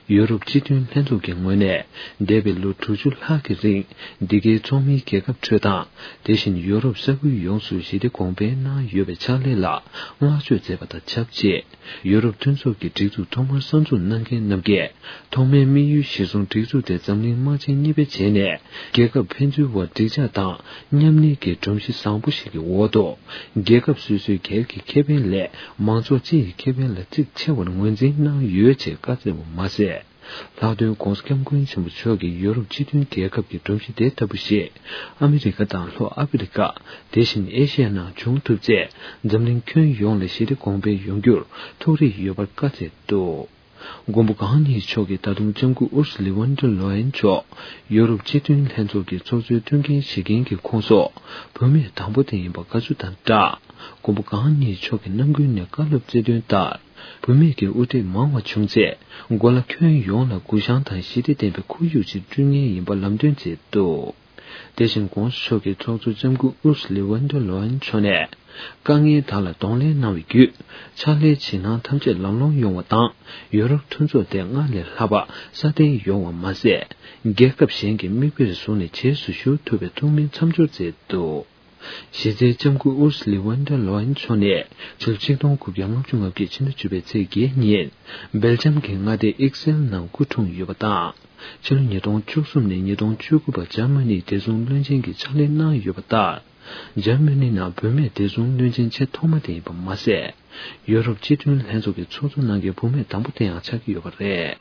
ཡུ་རོབ་སྤྱི་མཐུན་ལྷན་ཚོགས་ཀྱི་ངོས་ནས། འདས་པའི་ལོ་དྲུག་ཅུ་ལྷག་གི་རིང་། འདི་གའི་ཚོགས་མིའི་རྒྱལ་ཁབ་ཁྲོད་དང་། དེ་བཞིན་ཡུ་རོབ་ས་ཁུལ་ཡོངས་སུ་ཞི་བདེ་གོང་འཕེལ་གནང་ཡོད་པའི་ཕྱག་ལས་ལ་བསྔགས་བརྗོད་མཛད་པ་དང་ཆབས་ཅིག། ཡུ་རོབ་མཐུན་ཚོགས་ཀྱི་སྒྲིག་འཛུགས་ཐོག་མར་གསར་འཛུགས་གནང་མཁན་རྣམས་ཀྱིས། ཐོག་མའི་དམིགས་ཡུལ་གཞིར་བཟུང་སྒྲིག་འཛུགས་དེ་འཛམ་གླིང་དམག་ཆེན་གཉིས་པའི་རྗེས་ནས། རྒྱལ་ཁབ་ཕན་ཚུན་དབར་འགྲིག་འཇགས་དང་། མཉམ་གནས་ཀྱི་སྒྲོམ་གཞི་བཟང་པོ་ཞིག་གི་འོག་ཏུ། རྒྱལ་ཁབ་སོ་སོའི་སྒེར་གྱི་ཁེ་ཕན་ལས། མང་ཚོགས་སྤྱི་ཡི་ཁེ་ཕན་ལ་གཙིགས་ཆེ་བར་ངོས་འཛིན་གནང་ཡོད་ཅེས་བཀའ་སྩལ་བ་མ་ཟད། ལྷག་དོན་༧གོང་ས་༧སྐྱབས་མགོན་ཆེན་པོ་མཆོག་གིས་ཡོ་རོབ་སྤྱི་མཐུན་རྒྱལ་ཁབ་ཀྱི་སྒྲོམ་གཞི་དེ་ལྟ་བུ་ཞིག་ཨ་མི་རི་ཀ་དང་ལྷོ་ཨ་ཕི་རི་ཀ། དེ་བཞིན་ཨེ་ཤི་ཡའི་ནང་བྱུང་ཐུབ་ཚེ། འཛམ་གླིང་ཁྱོན་ཡོངས་ལ་ཞི་བདེ་གོང་འཕེལ་ཡོང་རྒྱུར་ཐུགས་རེ་ཡོད་པར་བཀའ་སྩལ་འདུག་མགོན་པོ་གང་ཉིད་མཆོག་གིས་ད་དུང་ལྕམ་སྐུ་ཨུར་སུ་ལི་ཝན་ཌར་ལོ་ཡན་མཆོག་ཡོ་རོབ་སྤྱི་མཐུན་ལྷན་ཚོགས་ཀྱི་ཚོགས་གཙོའི་བསྟུན་མཁན་བྱེད་མཁན་གྱི་ཁོངས་སུ་བུད་མེད་དང་པོ་དེ་ཡིན་པ་དགའ་བསུ་དང་སྦྲགས། མགོན་པོ་གང་ཉིད་མཆོག་གི་རྣམ་ཀུན་ནས་བཀའ་སློབ་སྩལ་དོན་ལྟར། བུད་མེད་ཀྱི་དབུ་ཁྲིད་མང་བ་བྱུང་ཚེ། གོ་ལ་ཁྱོན་ཡོངས་ལ་སྒུལ་ཤང་དང་ཞི་བདེ་ལྡན་པའི་ཁོར་ཡུག་ཅིག་བསྐྲུན་མཁན་ཡིན་པ་ལམ་སྟོན་མཛད་འདུག་དེ་བཞིན་༧གོང་ས་མཆོག་གི་ཚོགས་གཙོ་ལྕམ་སྐུ་ཨུར་སུ་ལི་ཝན་ཌར་ལོ་ཡན་མཆོག་ནས། དཀའ་ངལ་དག་ལ་གདོང་ལེན་གནང་བའི་བརྒྱུད། ཕྱག་ལས་བྱེད་སྣང་ཐམས་ཅད་ལམ་ལྷོང་ཡོང་བ་དང་། ཡོ་རོབ་མཐུན་ཚོགས་དེ་སྔར་ལས་ལྷག་པ་སྲ་བརྟན་ཡོང་བ་མ་ཟད། རྒྱལ་ཁབ་གཞན་གྱི་མིག་དཔེར་བཟུང་ནས་རྗེས་སུ་ཞུགས་ཐུབ་པའི་ཐུགས་སྨོན་མཚམས་སྦྱོར་མཛད་འདུག་གཞི་རྩའི་ལྕམ་སྐུ་ཨུར་སུ་ལི་ཝན་ཌར་ལོ་ཡན་མཆོག་ནས་ཕྱི་ལོ་ཆིག་སྟོང་དགུ་བརྒྱ་ལྔ་བཅུ་ང་བརྒྱད་ཕྱི་ཟླ་བཅུ་པའི་ཚེས་བརྒྱད་ཉིན་སྦེལ་ཇམ་གྱི་མངའ་སྡེ་ཨིག་སེལ་ནང་སྐུ་འཁྲུངས་ཡོད་པ་དང་། ཕྱི་ལོ་ཉིས་སྟོང་བཅུ་གསུམ་ནས་ཉིས་སྟོང་བཅུ་དགུ་བར་འཇར་མ་ནིའི་བདེ་སྲུང་བློན་ཆེན་གྱི་ཕྱག་ལས་གནང་ཡོད་པ་ལྟར། འཇར་མ་ནི་ནང་བུད་མེད་བདེ་སྲུང་བློན་ཆེན་ཆེས་ཐོག་མ་དེ་ཡིན་པ་མ་ཟད། ཡོ་རོབ་སྤྱི་མཐུན་ལྷན་ཚོགས་ཀྱི་ཚོགས་གཙོ་གནང་མཁན་བུད་མེད་དང་པོ་དེ་ཡང་ཆགས་ཀྱི་ཡོད་པ་རེད།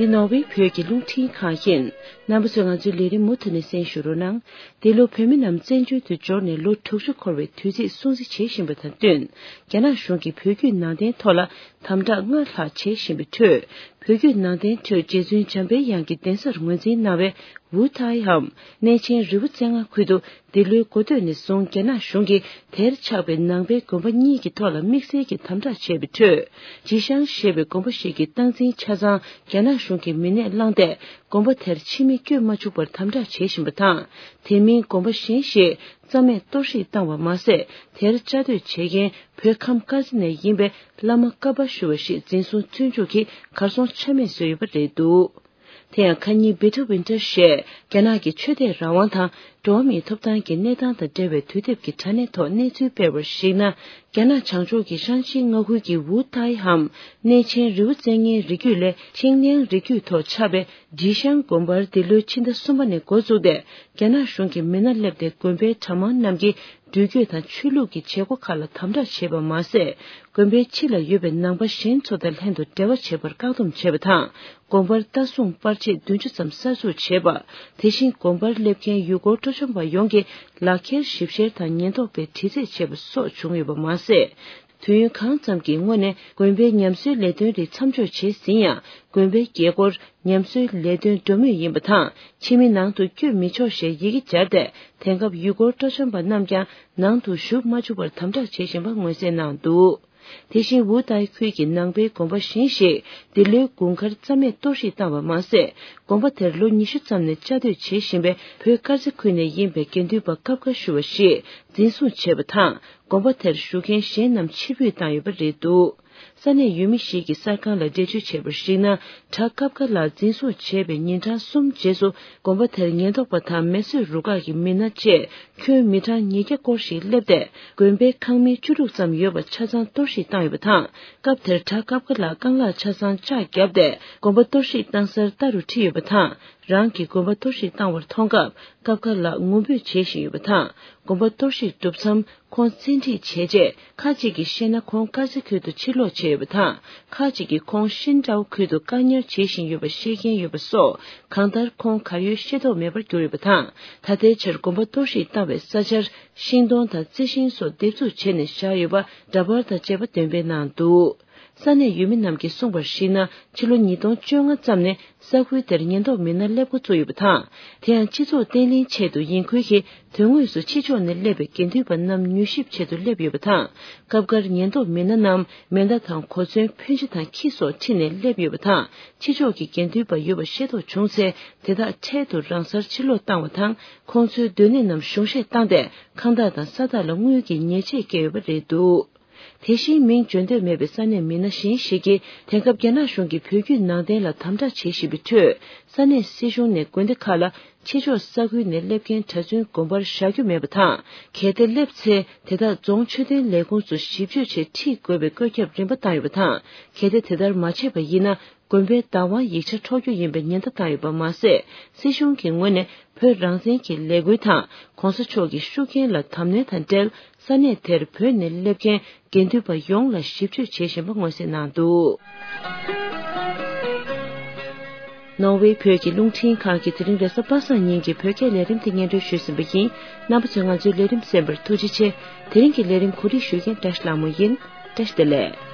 འདི་ནོར་ཝེ་བོད་ཀྱི་རླུང་འཕྲིན་ཁང་ཡིན། རྣམ་པ་ཚོས་ང་ཚོའི་ལས་རིམ་མུ་མཐུད་ནས་གསན་ཞུ་རོགས་གནང་། འདི་ལོ་བོད་མི་རྣམས་བཙན་བྱོལ་དུ་འབྱོར་ནས་ལོ་དྲུག་ཅུ་འཁོར་བའི་དུས་ཚིགས་སྲུང་བརྩི་བྱེད་བཞིན་པ་དང་བསྟུན། རྒྱ་ནག་གཞུང་གིས་བོད་བརྒྱུད་ནང་བསྟན་ཐོག་ལ་དམ་དྲག་སྔར་ལྷག་བྱེད་བཞིན་པའི་ཁྲོད། བོད་བརྒྱུད་ནང་བསྟན་ཁྲོད་རྗེ་བཙུན་འཇམ་དཔལ་དབྱངས་ཀྱི་གདན་སར་ངོས་འཛིན་གནང་བའི་ཝུའུ་ཐའི་འམ་གནས་ཆེན་རི་བོ་རྩེ་ལྔ་ཁུལ་དུ། འདི་ལོའི་འགོ་སྟོད་ནས་བཟུང་རྒྱ་ནག་གཞུང་གིས་དེར་ཆགས་པའི་ནང་པའི་དགོན་པ་གཉིས་ཀྱི་ཐོག་ལ་དམིགས་བསལ་གྱི་དམ་དྲག་བྱས་པའི་ཁྲོད། ཇི་ཤང་ཞེས་པའི་དགོན་པ་ཞིག་གི་སྟངས་འཛིན་ཆ་ཚང་རྒྱ་ནག་གཞུང་གིས་མི་སྣས་བླངས་ཏེ། དགོན་པ་དེར་ཕྱི་མི་བསྐྱོད་མ་བཅུག་པར་དམ་དྲག་བྱེད་བཞིན་པ་དང་། དེ་མིན་དགོན་པ་གཞན་ཞིག་རྩ་མེད་གཏོར་བཤིག་བཏང་བ་མ་ཟད། དེར་བཅའ་སྡོད་བྱེད་མཁན་བོད་ཁམས་དཀར་མཛེས་ནས་ཡིན་པའི་བླ་མ་ཀ་པ་ཞུ་བ་ཞིག་འཛིན་བཟུང་བཙོན་འཇུག་གིས་གར་སོང་ཆ་མེད་བཟོས་ཡོད་པ་རེད་འདུག་དེ་ཡང་ཁ་ཉིན་Bit of Winter ཞེས་རྒྱ་ནག་གི་ཆོས་དད་རང་དབང་དང་འགྲོ་བ་མིའི་ཐོབ་ཐང་གི་གནས་སྟངས་དང་འབྲེལ་བའི་དུས་དེབ་ཀྱི་དྲ་གནས་ཐོག་གནས་ཚུལ་སྤེལ་བར་གཞིགས་ན། རྒྱ་ནག་བྱང་ཕྱོགས་ཀྱི་ཧྲན་ཤིན་མངའ་ཁུལ་གྱི་ཝུའུ་ཐའི་འམ་གནས་ཆེན་རི་བོ་རྩེ་ལྔའི་རི་རྒྱུད་ལས་ཆིང་ལིང་རི་རྒྱུད་ཐོག་ཆགས་པའི་ཇི་ཤང་དགོན་པར་འདི་ལོའི་ཕྱི་ཟླ་གསུམ་པ་ནས་འགོ་བཙུགས་ཏེ། རྒྱ་ནག་གཞུང་གི་མི་སྣ་སླེབས་ཏེ་དགོན་པའི་གྲྭ་མང་རྣམས་ཀྱིས་འགྲུལ་སྐྱོད་དང་ཆོས་ལུགས་ཀྱི་བྱེད་སྒོ་ཁག་ལ་དམ་དྲག་བྱས་པ་མ་ཟད། དགོན་པའི་ཕྱི་ལ་ཡོད་པའི་ནང་པ་གཞན་ཚོ་དང་ལྷན་དུ་འབྲེལ་བ་བྱེད་པར་བཀག་སྡོམ་བྱས་པ་དང་། དགོན་པར་ལྟ་སྲུང་པར་ཆས་བདུན་ཅུ་ཙམ་གསར་འཛུགས་བྱས་པ། དེ་བཞིན་དགོན་པར་སླེབས་མཁན་ཡུལ་སྐོར་སྤྲོ་འཆམ་པ་ཡོངས་ཀྱིས་ལག་འཁྱེར་ཞིབ་བཤེར་དང་ཉེན་རྟོག་པས་དྲི་རྩད་བྱས་པ་སོགས་བྱུང་ཡོད་པ་མ་ཟད། དུས་ཡུན་གང་ཙམ་གྱི་སྔོན་ནས་དགོན་པའི་ཉམས་གསོའི་ལས་དོན་རིགས་མཚམས་འཇོག་བྱས་ཟིན་ཡང་། དགོན་པའི་རྒྱལ་སྒོར་ཉམས་གསོའི་ལས་དོན་འགྲོ་མུས་ཡིན་པ་དང་། ཕྱི་མི་ནང་དུ་བསྐྱོད་མི་ཆོག་ཞེས་ཡི་གེ་སྦྱར་ཏེ། དེང་སྐབས་ཡུལ་སྐོར་སྤྲོ་འཆམ་པ་རྣམས་ཀྱང་ནང་དུ་ཞུགས་མ་བཅུག་པར་དམ་དྲག་བྱེད་བཞིན་པ་མངོན་གསལ་གནང་འདུག་དེ་བཞིན་ཝུའུ་ཏའི་ཁུལ་གྱི་ནང་པའི་དགོན་པ་གཞན་ཞིག་འདི་ལོའི་དགུན་ཁར་རྩ་མེད་གཏོར་བཤིག་བཏང་བ་མ་ཟད། དགོན་པ་དེར་ལོ་ཉི་ཤུ་ཙམ་ནས་བཅའ་སྡོད་བྱེད་བཞིན་པའི་བོད་དཀར་མཛེས་ཁུལ་ནས་ཡིན་པའི་དགེ་འདུན་པ་ཀབ་ཀ་ཞུ་བ་ཞིག་འཛིན་བཟུང་བྱས་པ་དང་། དགོན་པ་དེར་བཞུགས་མཁན་གཞན་རྣམས་ཕྱིར་འབུད་བཏང་ཡོད་པ་རེད་འདུག་ས་གནས་ཡུལ་མི་ཞིག་གིས་གསར་ཁང་ལ་འགྲེལ་བརྗོད་བྱས་པར་གཞིགས་ན། གྲྭ་ཀབ་ཀ་ལགས་འཛིན་བཟུང་བྱས་པའི་ཉིན་གྲངས་གསུམ་རྗེས་སུ། དགོན་པ་དེར་ཉེན་རྟོག་པ་དང་མེ་གསོད་རུ་ཁག་གི་མི་སྣ་བཅས་ཁྱོན་མི་གྲངས་ཉིས་བརྒྱ་སྐོར་ཞིག་སླེབས་ཏེ། དགོན་པའི་ཁང་མིག་བཅུ་དྲུག་ཙམ་ཡོད་པ་ཆ་ཚང་གཏོར་བཤིག་བཏང་ཡོད་པ་དང་། སྐབས་དེར་གྲྭ་ཀབ་ཀ་ལགས་རྐང་ལག་ཆ་ཚང་ལྕགས་བརྒྱབ་སྟེ། དགོན་པ་གཏོར་བཤིག་བཏང་སར་ལྟ་རུ་ཁྲིད་ཡོད་པ་དང་། རང་གིས་དགོན་པ་གཏོར་བཤིག་བཏང་བར་མཐོང་སྐབས། ཀབ་ཀ་ལགས་ངུ་འབོད་བྱེད་བཞིན་ཡོད་པ་དང་། དགོན་པ་གཏོར་བཤིག་གྲུབ་མཚམས་ཁོང་བཙན་ཁྲིད་བྱས་རྗེས། ཁ་ཅིག་གིས་བཤད་ན་ཁོང་དཀར་མཛེས་ཁུལ་དུ་ཕྱིར་ལོག་བྱས་ཡོད་པ་དང་། ཁ་ཅིག་གིས་ཁོང་ཤིན་ཀྲའོ་ཁུལ་དུ་བཀག་ཉར་བྱེད་བཞིན་ཡོད་པ་བཤད་མཁན་ཡོད་པ་སོགས། གང་ལྟར་ཁོང་གར་ཡོད་ཤེས་རྟོགས་མེད་པར་གྱུར་ཡོད་པ་དང་། ད་ལྟའི་ཆར་དགོན་པ་གཏོར་བཤིག་བཏང་བའི་ས་ཆར་ཤིང་སྡོང་དང་རྩི་ཤིང་སོགས་འདེབས་འཛུགས་བྱས་ནས་བཞག་ཡོད་པ་འདྲ་པར་དང་བཅས་པ་འདོན་སྤེལ་གནང་འདུག་ས་གནས་ཡུལ་མི་རྣམས་ཀྱིས་གསུངས་པར་གཞིགས་ན། ཕྱི་ལོ་ཉིས་སྟོང་བཅོ་ལྔ་ཙམ་ནས་ས་ཁུལ་དེར་ཉེན་རྟོག་མི་སྣ་སླེབས་འགོ་བཙུགས་ཡོད་པ་དང་། དེ་ཡང་སྤྱི་ཚོགས་བརྟན་ལྷིང་ཆེད་དུ་ཡིན་ཁུལ་གྱིས། དོན་དངོས་སུ་ཕྱི་ཕྱོགས་ནས་སླེབས་པའི་དགེ་འདུན་པ་རྣམས་མྱུལ་ཞིབ་ཆེད་དུ་སླེབས་ཡོད་པ་དང་། སྐབས་འགར་ཉེན་རྟོག་མི་སྣ་རྣམས་མེ་མདའ་དང་གོ་མཚོན་འཕོན་ཆ་དང་ཁྱི་སོགས་ཁྲིད་ནས་སླེབས་ཡོད་པ་དང་། ཕྱི་ཕྱོགས་ཀྱི་དགེ་འདུན་པ་ཡོད་པ་ཤེས་རྟོགས་བྱུང་ཚེ། དེ་དག་འཕྲལ་དུ་རང་སར་ཕྱིར་ལོག་བཏང་བ་དང་། ཁོང་ཚོའི་སྡོད་གནས་རྣམས་གཞུང་བཞེས་བཏང་སྟེ། ཁང་བདག་དང་ས་བདག་ལ་དངུལ་གྱི་ཉེས་ཆད་བཀལ་ཡོད་པ་རེད་འདུག་དེ་བཞིན་མིང་བརྗོད་འདོད་མེད་པའི་ས་གནས་མི་སྣ་གཞན་ཞིག་གིས། དེང་སྐབས་རྒྱ་ནག་གཞུང་གིས་བོད་བརྒྱུད་ནང་བསྟན་ལ་དམ་དྲག་བྱེད་བཞིན་པའི་ཁྲོད། ས་གནས་སྲིད་གཞུང་ནས་དགོན་སྡེ་ཁག་ལ། ཕྱི་ཕྱོགས་ས་ཁུལ་ནས་སླེབས་མཁན་གྲྭ་བཙུན་དགོན་པར་བཞག་རྒྱུ་མེད་པ་དང་། གལ་ཏེ་སླེབས་ཚེ། དེ་དག་རྫོང་ཆོས་དོན་ལས་ཁུངས་སུ་ཞིབ་དཔྱོད་ཆེད་ཁྲིད་དགོས་པའི་བཀོད་ཁྱབ་རིམ་པ་བཏང་ཡོད་པ་དང་། གལ་ཏེ་དེ་ལྟར་མ་བྱས་པ་ཡིན་ན། དགོན་པའི་བདག་དབང་ཡིག་ཆ་འཕྲོག་རྒྱུ་ཡིན་པའི་ཉེན་བརྡ་བཏང་ཡོད་པ་མ་ཟད། སྲིད་གཞུང་གི་ངོས་ནས་བོད་རང་བཙན་གྱི་ལས་འགུལ་དང་གོང་ས་མཆོག་གི་ཤུགས་རྐྱེན་ལ་དམ་ནན་དང་འབྲེལ། ས་གནས་དེར་བོད་ནས་སླེབས་མཁན་དགེ་འདུན་པ་ཡོངས་ལ་ཞིབ་དཔྱོད་བྱེད་བཞིན་པ་མངོན་གསལ་གནང་འདུག་ནོར་ཝེ་བོད་ཀྱི་རླུང་འཕྲིན་ཁང་གིས་དེ་རིང་རེས་གཟའ་པ་སངས་ཉིན་གྱི་བོད་སྐད་ལས་རིམ་དེ་སྙན་སྒྲོན་ཞུས་ཟིན་པ་ཡིན། རྣམ་པ་ཚོས་ང་ཚོའི་ལས་རིམ་གསན་པར་ཐུགས་རྗེ་ཆེ། དེ་རིང་གི་ལས་རིམ་གོ་སྒྲིག་ཞུ་མཁན་བཀྲ་ཤིས་ལྷ་མོ་ཡིན། བཀྲ་ཤིས་བདེ་ལེགས།